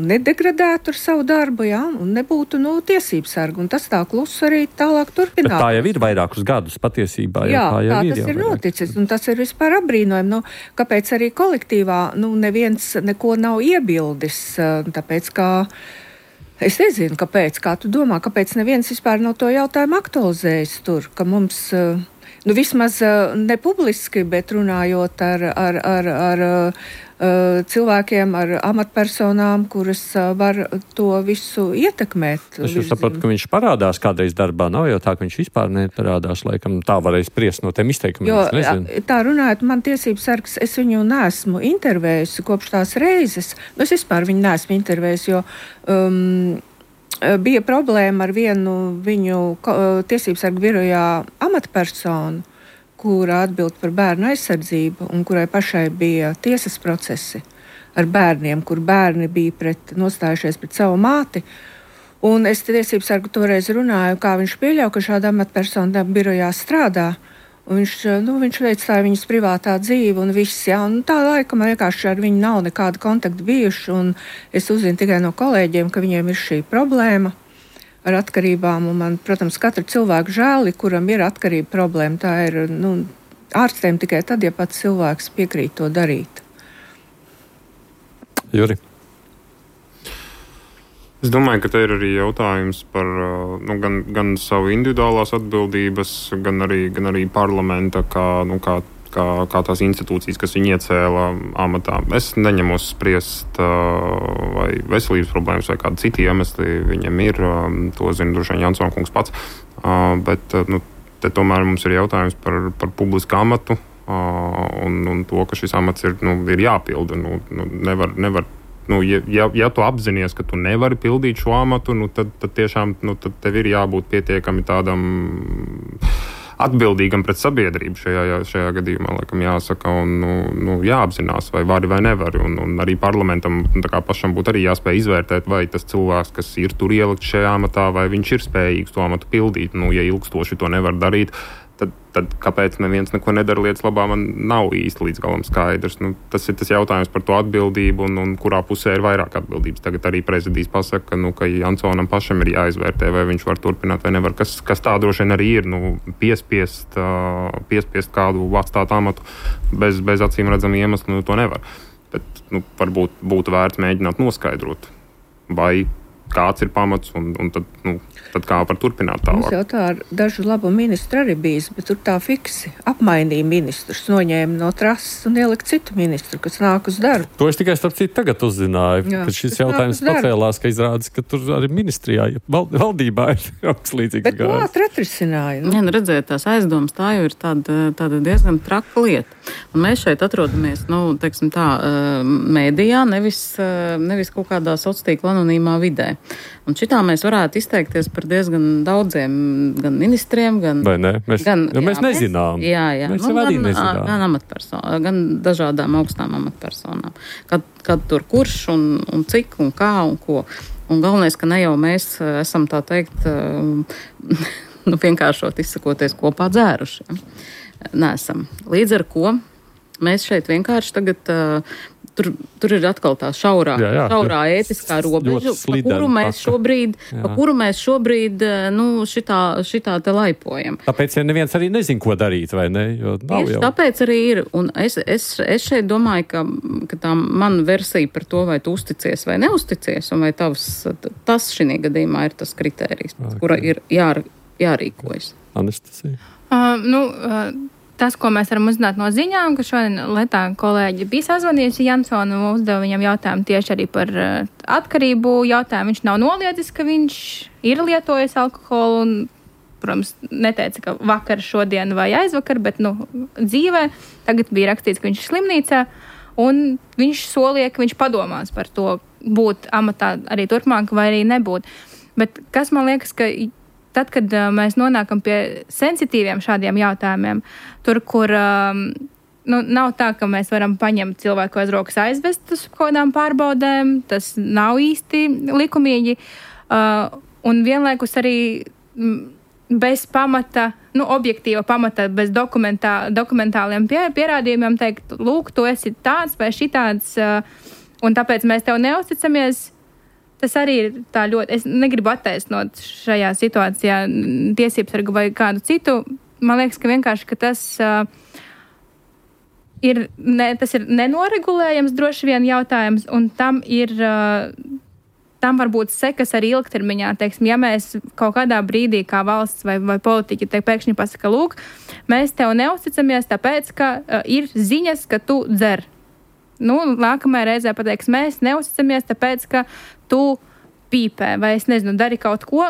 nedegradētu ar savu darbu, un nebūtu tiesības sargu. Un tas tā klusu arī tālāk turpināt. Bet tā jau ir vairākus gadus patiesībā. Jā, tā tas ir noticis, un tas ir vispār apbrīnojami. Kāpēc arī kolektīvā neviens neko nav iebildis, tāpēc kā es nezinu, kāpēc, kā tu domā, kāpēc neviens vispār no to jautājumu aktualizējis tur, ka mums vismaz ne publiski, bet runājot ar cilvēkiem, ar amatpersonām, kuras var to visu ietekmēt. Es saprotu, ka viņš parādās kādreiz darbā. Nav jau tā, ka viņš vispār neparādās. Laikam tā varēs spriest no tiem izteikumiem. Tā runājot, man tiesības sargs, es viņu neesmu intervējusi kopš tās reizes. Es vispār viņu neesmu intervējusi, jo bija problēma ar vienu viņu tiesības sargu birojā amatpersonu, kura atbild par bērnu aizsardzību un kurai pašai bija tiesas procesi ar bērniem, kur bērni bija nostājušies pret savu māti. Un es tiesības sargu toreiz runāju, kā viņš pieļauj, ka šāda amatpersona birojā strādā. Un viņš veicināja viņas privātā dzīve un viss, un tā laika man vienkārši ar viņu nav nekāda kontakta bijuši, un es uzzinu tikai no kolēģiem, ka viņiem ir šī problēma ar atkarībām, un man, protams, katru cilvēku žēli, kuram ir atkarība problēma, tā ir, ārstiem tikai tad, ja pats cilvēks piekrīt to darīt. Juri? Es domāju, ka te ir arī jautājums par gan savu individuālās atbildības, gan arī parlamenta, kā tās institūcijas, kas viņu iecēla amatā. Es neņemos spriest, vai veselības problēmas, vai kādi citi iemesli viņam ir. To zina droši vien Jansona kungs pats. Bet te tomēr mums ir jautājums par publisku amatu un to, ka šis amats ir jāpilda. Nevar. Ja tu apzinies, ka tu nevari pildīt šo amatu, tad tiešām tad tev ir jābūt pietiekami tādam atbildīgam pret sabiedrību šajā gadījumā, laikam jāsaka, un jāapzinās, vai vari vai nevari. Un arī parlamentam tā kā pašam būtu arī jāspēj izvērtēt, vai tas cilvēks, kas ir tur ielikt šajā amatā, vai viņš ir spējīgs to amatu pildīt. Ja ilgstoši to nevar darīt, tad kāpēc neviens neko nedara lietas labā, man nav īsti līdz galam skaidrs. Tas ir tas jautājums par to atbildību un kurā pusē ir vairāk atbildības. Tagad arī prezidijs pasaka, ka Jansonam pašam ir jāizvērtē, vai viņš var turpināt vai nevar. Kas tā droši vien arī ir, piespiest kādu atstāt amatu bez acīm redzama iemesla, to nevar. Bet varbūt būtu vērts mēģināt noskaidrot, vai kāds ir pamats, un tad kā var turpināt tālāk. Mums jau tā ar dažu labu ministru arī bijis, bet tur tā fiksi apmainīja ministrus, noņēma no trases un ielika citu ministru, kas nāk uz darbu. To es tikai starp citu tagad uzzināju, kad šis jautājums pacēlās, ka izrādās, ka tur arī ministrijā, valdībā ir augslīdzīgs gājums. Bet ātri atrisināja. Redzēt, tās aizdomas, tā jau ir tāda diezgan traka lieta. Un mēs šeit atrodamies, teiksim tā, mēdījā, nevis kaut kādā sociālā anonīmā vidē. Un šitā mēs varētu izteikties par diezgan daudziem gan ministriem, gan... Vai ne? Mēs nezinām. Jā. Mēs jau arī nezinām. Gan dažādām augstām amatpersonām. Kad tur kurš un cik un kā un ko. Un galvenais, ka ne jau mēs esam tā teikt, vienkāršot izsakoties kopā dzērušiem. Nesam. Līdz ar ko mēs šeit vienkārši tagad... Tur ir atkal tā šaurā ētiskā robeža, pa kuru mēs šobrīd šitā te laipojam. Tāpēc neviens arī nezin, ko darīt, vai ne? Tieši tāpēc arī ir. Un es šeit domāju, ka tā mana versija par to, vai tu uzticies vai neusticies, un vai tas šī gadījumā ir tas kritērijs, kura ir jārīkojas. Anastasija? Tas, ko mēs varam uzzināt no ziņām, ka šodien Lietā kolēģi bija sazvanījusi Jansonu un uzdeva viņam jautājumu tieši arī par atkarību jautājumu. Viņš nav noliedzis, ka viņš ir lietojis alkoholu un, protams, neteica, ka vakar, šodien vai aizvakar, bet, dzīvē. Tagad bija rakstīts, ka viņš ir slimnīcā un viņš solīja, ka viņš padomās par to būt amatā arī turpmāk vai arī nebūt. Bet kas man liekas, ka tad, kad mēs nonākam pie sensitīviem šādiem jautājumiem, tur, kur nav tā, ka mēs varam paņemt cilvēku aiz rokas aizvest uz kādām pārbaudēm, tas nav īsti likumīgi, un vienlaikus arī bez pamata, objektīva pamata, bez dokumentāliem pierādījumiem teikt, lūk, tu esi tāds vai šitāds, un tāpēc mēs tev neusticamies. Tas arī ir tā ļoti, es negribu attaisnot šajā situācijā tiesības vai kādu citu. Man liekas, ka vienkārši, ka tas ir nenoregulējams droši vien jautājums, un tam var būt sekas arī ilgtermiņā. Teiksim, ja mēs kaut kādā brīdī kā valsts vai politiķi pēkšņi pasaka, lūk, mēs tev neusticamies, tāpēc, ka ir ziņas, ka tu dzer. Nākamajā reizē pateiks, mēs neusticamies, tāpēc, ka tu pīpē, vai es nezinu, dari kaut ko,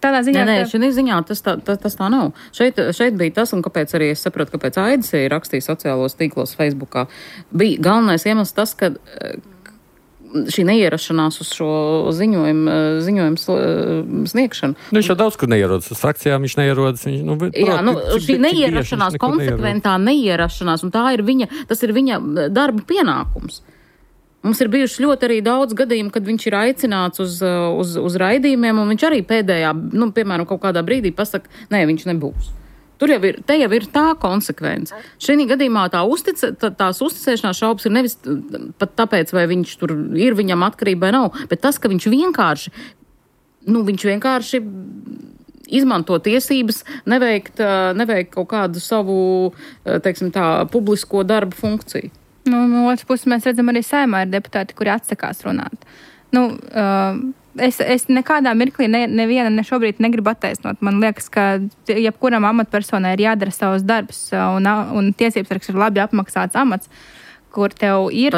tādā ziņā... Nē, šī ziņā tas tā nav. Šeit bija tas, un kāpēc arī es saprotu, kāpēc Aidis rakstīja sociālos tīklos Facebookā. Bija galvenais iemesls tas, ka šī neierašanās uz šo ziņojumu sniegšanu. Viņš jau daudz, kur neierodas. Uz akcijām viņš neierodas. Šī neierašanās, konsekventā neierašanās, un tas ir viņa darba pienākums. Mums ir bijuši ļoti arī daudz gadījumu, kad viņš ir aicināts uz raidījumiem, un viņš arī pēdējā, piemēram, kaut kādā brīdī pasaka, nē, viņš nebūs. Te jau ir tā konsekvence. Šī gadījumā tās uzticēšanās šaubas ir nevis pat tāpēc, vai viņš tur ir viņam atkarība vai nav, bet tas, ka viņš vienkārši izmanto tiesības neveikt kaut kādu savu, teiksim tā, publisko darbu funkciju. No otras puses mēs redzam arī Saeimā ir deputāti, kuri atsakās runāt. Es nekādā mirklī neviena šobrīd negribu attaisnot. Man liekas, ka jebkuram amatpersonai ir jādara savs darbs, un tiesības sargs ir labi apmaksāts amats, kur tev ir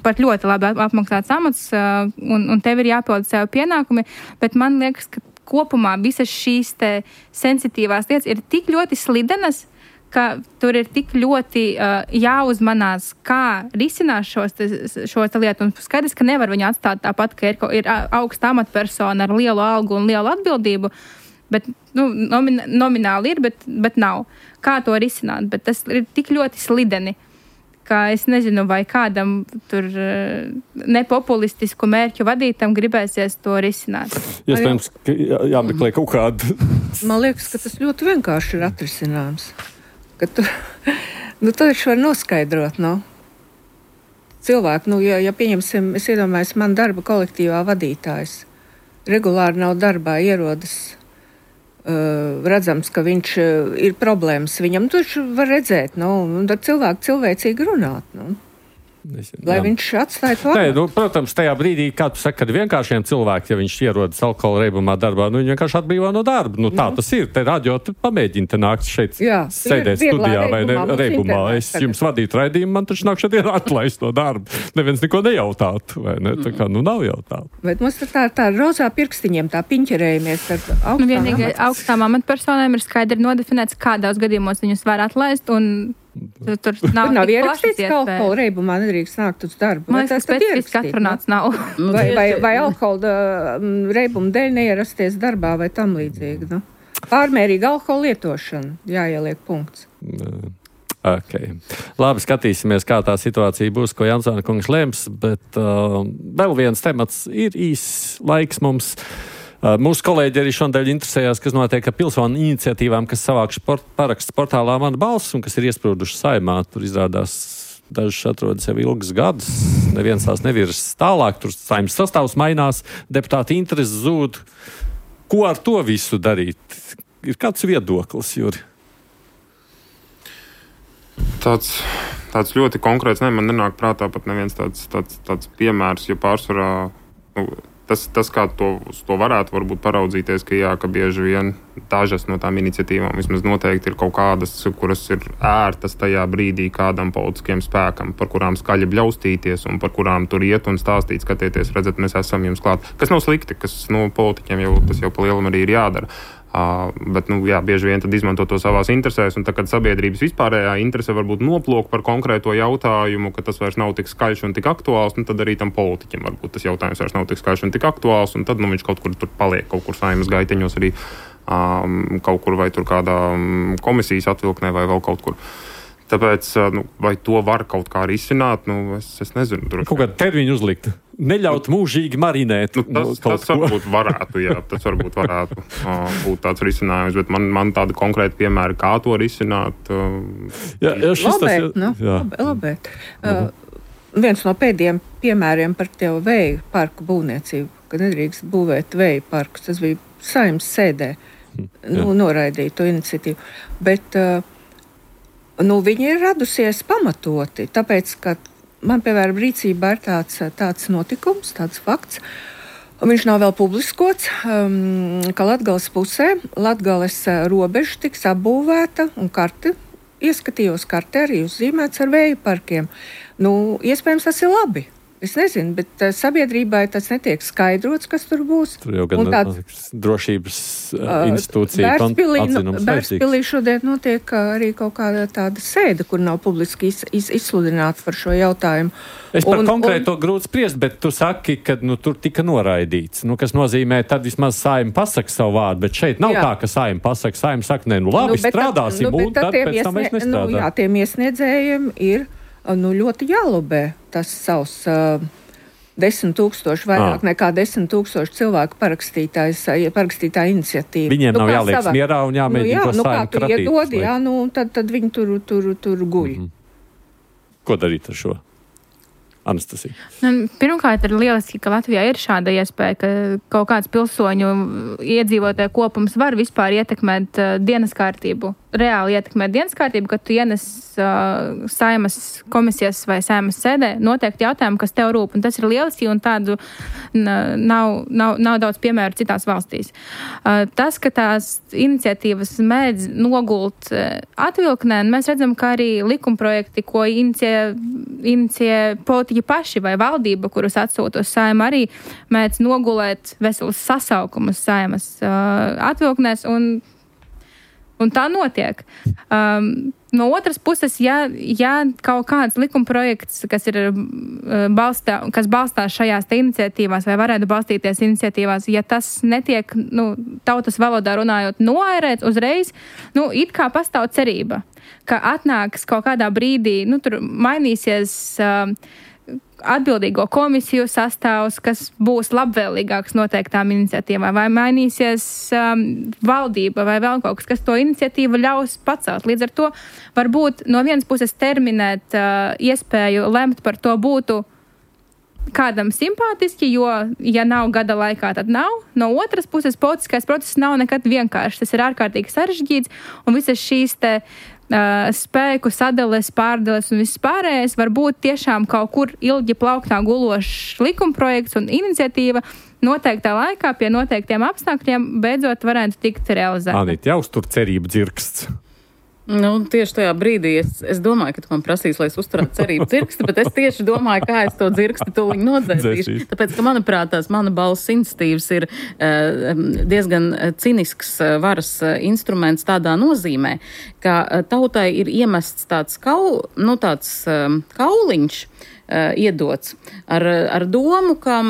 pat ļoti labi apmaksāts amats, un tev ir jāpild sev pienākumi, bet man liekas, ka kopumā visas šīs te sensitīvās lietas ir tik ļoti slidenas, ka tur ir tik ļoti jāuzmanās, kā risinās šos lietu. Un skaidrs, ka nevar viņu atstāt tāpat, ka ir augsta amatpersona ar lielu algu un lielu atbildību, Bet, nomināli ir, bet nav. Kā to risināt? Bet tas ir tik ļoti slideni, ka es nezinu, vai kādam tur nepopulistisku mērķu vadītam gribēsies to risināt. Iespējams, ka jāmeklē kaut kāda. Man liekas, ka tas ļoti vienkārši ir atrisinājums. Ka tu taču var noskaidrot, cilvēku, ja pieņemsim, es iedomājos, man darba kolektīvā vadītājs regulāri nav darbā, ierodas, redzams, ka viņš ir problēmas viņam, taču var redzēt, un ar cilvēku cilvēcīgi runāt, lai viņš atstāja to. Nē, protams, tajā brīdī, kā tu saki, kad vienkāršiem cilvēkiem, ja viņš ierodas alkohola reibumā darbā, viņi vienkārši atbrīvā no darba. Tā tas ir. Te radio pamēģini te nākt šeit sēdēt studijā vai reibumā. Es jums vadītu raidījumu, man taču nāk šeit atlaist no darba. Neviens neko nejautātu, vai ne? Tā kā, nav jautātu. Bet mums tā rozā pirkstiņiem, tā piņķerējamies ar augstām. Vienīgi augstām amatpersonām ir skaidri nodefinēts, kādos gadījumos viņus var atlaist, un tur nav ierakstīts, ka alkohola reibumā nedrīkst nākt uz darbu. Man liekas, specifiski atrunāts nav. Vai alkohola reibuma dēļ neierasties darbā vai tam līdzīgi. Pārmērīga alkohola lietošana, jāieliek punkts. Okay. Labi, skatīsimies, kā tā situācija būs, ko Jansona kungs lems, bet vēl viens temats ir īss laiks mums. Mūsu kolēģi arī šodien interesējās, kas notiek ar pilsonu iniciatīvām, kas savākšu paraksts portālā Mana balss un kas ir iesprūduši Saeimā. Tur izrādās dažas atrodas jau ilgas gadus, neviens tās nevirs tālāk, tur Saeimas sastāvs mainās, deputāti interesi zūd. Ko ar to visu darīt? Ir kāds viedoklis, Juri? Tāds ļoti konkrēts, man nenāk prātā pat neviens tāds piemērs, jo pārsvarā Tas, kā to varētu varbūt paraudzīties, ka bieži vien dažas no tām iniciatīvām vismaz noteikti ir kaut kādas, kuras ir ērtas tajā brīdī kādam politiskiem spēkam, par kurām skaļi bļaustīties un par kurām tur iet un stāstīt, skatieties, redzat, mēs esam jums klāt. Kas nav slikti, kas politiķiem tas jau pa lielam arī ir jādara. Bet, bieži vien tad izmanto to savās interesēs, un tad, kad sabiedrības vispārējā interese varbūt noplok par konkrēto jautājumu, ka tas vairs nav tik skaļš un tik aktuāls, tad arī tam politiķim varbūt tas jautājums vairs nav tik skaļš un tik aktuāls, un tad viņš kaut kur tur paliek, kaut kur Saeimas gaiteņos arī kaut kur vai tur kādā komisijas atvilknē vai vēl kaut kur. Tāpēc, vai to var kaut kā risināt, es nezinu. Kaut kādu termiņu uzlikt. Neļaut mūžīgi marinēt. Tas varbūt varētu, tas varbūt varētu būt tāds risinājums, bet man tāda konkrēta piemēra, kā to risināt. Labēt. Viens no pēdējiem piemēriem par tev vēju parku būvniecību, ka nedrīkst būvēt vēju parkus, tas bija Saeimas sēdē, noraidīja to iniciatīvu. Bet viņi ir radusies pamatoti, tāpēc, ka man, piemēram, rīcībā ir tāds notikums, tāds fakts. Viņš nav vēl publiskots, ka Latgales pusē Latgales robeža tiks apbūvēta un ieskatījos karti arī uzzīmēts ar vēju parkiem. Iespējams, tas ir labi. Es nezinu, bet sabiedrībai tas netiek skaidrots, kas tur būs. Tur jau gan drošības institūcija atzinums. Bērspilī šodien notiek arī kaut kāda tāda sēde, kur nav publiski izsludināts par šo jautājumu. Es par konkrēto grūti spriest, bet tu saki, ka tur tika noraidīts. Kas nozīmē, tad vismaz Saeima pasaka savu vārdu, bet šeit nav tā, ka Saeima pasaka. Saeima saka, labi, strādāsim, un tad pēc tam mēs nestrādājam. Tiem iesniedzējiem ir ļoti jālobē tas savs 10,000, vairāk nekā 10,000 cilvēku parakstītā iniciatīva. Viņiem nav jāliek mierā un jāmēģina to Saeimu kratīt. Iedod, tad viņi tur guļ. Ko darīt ar šo? Anastasija. Pirmkārt, ir lieliski, ka Latvijā ir šāda iespēja, ka kaut kāds pilsoņu iedzīvotāju kopums var vispār ietekmēt dienas kārtību. Reāli ietekmēt dienas kārtību, kad tu ienes Saeimas komisijas vai Saeimas sēdē noteikti jautājumu, kas tev rūp. Un tas ir lieliski, un tādu nav daudz piemēru citās valstīs. Tas, ka tās iniciatīvas mēdz nogult atvilknē, mēs redzam, ka arī likumprojekti, ko inicijē politiķi paši vai valdība, kurus atsūta uz Saeimu, arī mēdz nogulēt veselus sasaukumus Saeimas atvilknēs, un Un tā notiek. No otras puses, ja kaut kāds likumprojekts, kas balstās šajās te iniciatīvās vai varētu balstīties iniciatīvās, ja tas netiek, tautas valodā runājot, noairēts uzreiz, it kā pastāv cerība, ka atnāks kaut kādā brīdī, tur mainīsies atbildīgo komisiju sastāvs, kas būs labvēlīgāks noteiktām iniciatīvām, vai mainīsies valdība vai vēl kaut kas to iniciatīvu ļaus pacelt. Līdz ar to varbūt no vienas puses terminēt iespēju lemt par to būtu kādam simpātiski, jo, ja nav gada laikā, tad nav. No otras puses, politiskais process nav nekad vienkāršs. Tas ir ārkārtīgi sarežģīts, un visas šīs te spēku sadales, pārdales un viss pārējais var būt tiešām kaut kur ilgi plauktā gulošs likumprojekts un iniciatīva noteiktā laikā pie noteiktiem apstākļiem beidzot varētu tikt realizēta. Anita, jāuztur cerību dzirksts. Tieši tajā brīdī es domāju, ka tu man prasīs, lai es uzturētu cerību dzirksti, bet es tieši domāju, kā es to dzirksti tūliņ nodzēsīšu. Tāpēc, ka manuprāt, tās mana balss iniciatīvas ir diezgan cinisks varas instruments tādā nozīmē, ka tautai ir iemests tāds kauliņš iedots ar domu, ka,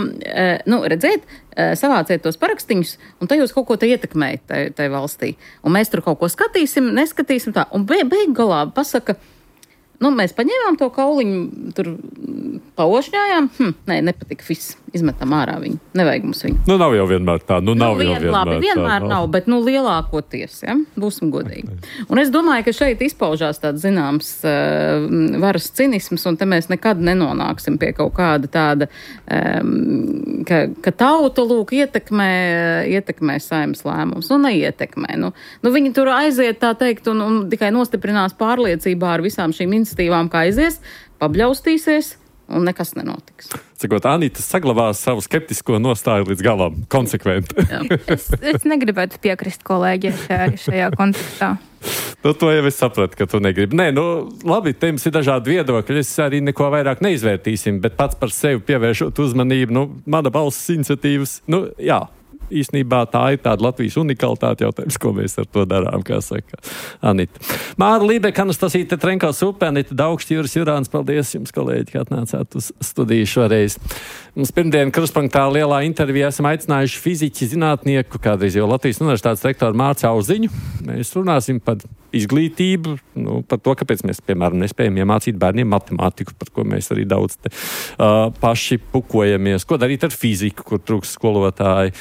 redziet, savāciet tos parakstiņus, un te jūs kaut ko te ietekmējat tai valstī. Un mēs tur kaut ko skatīsim, neskatīsim tā. Un beig galā pasaka, mēs paņēmām to kauliņu, tur paošņājām. Nē, nepatika viss. Izmetam ārā viņu. Nevajag mums viņu. Nav jau vienmēr tā. Vienmēr nav, bet lielākoties, ja? Būsim godīgi. Okay. Un es domāju, ka šeit izpaužās tāds zināms varas cinisms, un te mēs nekad nenonāksim pie kaut kāda tāda, ka tauta lūk ietekmē Saeimas lēmums. Neietekmē. Viņi tur aiziet, tā teikt, un tikai nostiprinās pārliecībā ar visām šīm iniciatīvām, kā aizies, pabļaustīsies, un nekas nenotiks. Cikot, Anita saglabās savu skeptisko nostāju līdz galam, konsekventi. Es negribētu piekrist kolēģiem šajā kontekstā. To jau es sapratu, ka tu negribi. Nē, labi, te jums ir dažādi viedokļi, es arī neko vairāk neizvērtīsim, bet pats par sevi pievēršot uzmanību, mana balss iniciatīvas, jā. Īsnībā tā ir tāda Latvijas unikalitāte jautājums, ko mēs ar to darām, kā saka Anita. Māra Lībeka, Anastasija Tetrenko-Supe, Anita Daugšķi, Juris Jurāns, paldies jums, kolēģi, ka atnācāt uz studiju šoreiz. Mums pirmdien Krustpunktā lielā intervijā esam aicinājuši fiziķi, zinātnieku, kādreiz jau Latvijas Universitātes rektoru Mārci Auziņu. Mēs runāsim par izglītību, par to, kāpēc mēs, piemēram, nespējam iemācīt bērniem matemātiku, par ko mēs arī daudz paši pukojamies. Ko darīt ar fiziku, kur trūks skolotāji?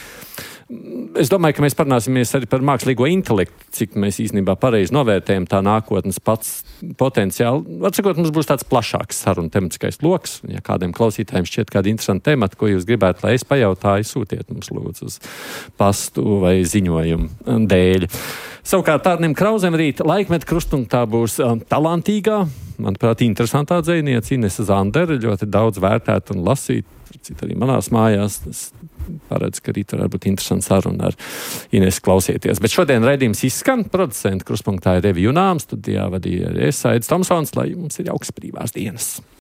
Es domāju, ka mēs parunāsimies arī par mākslīgo intelektu, cik mēs īstenībā pareizi novērtējam tā nākotnes pats potenciāli. Atsakot, mums būs tāds plašāks saruna tematiskais loks. Ja kādiem klausītājiem šķiet kādi interesanti temati, ko jūs gribētu, lai es pajautāju, sūtiet mums lūdzu uz pastu vai ziņojumu dēļ. Savukārt Tārnim Krauzem rīt Laikmeta Krustpunktā būs talantīgā, manuprāt, interesantā dzejniece Inese Zandere, ļoti daudz vērtēt un lasīt. Cita arī manās mājās. Es paredzu, ka rīt varētu būt interesants saruna ar Inesu klausieties. Bet šodien raidījums izskan. Producenta Krustpunktā ir Evi Junāms, studijā vadīja arī es, Aidis Tomsons, lai jums ir jauks brīvās dienas.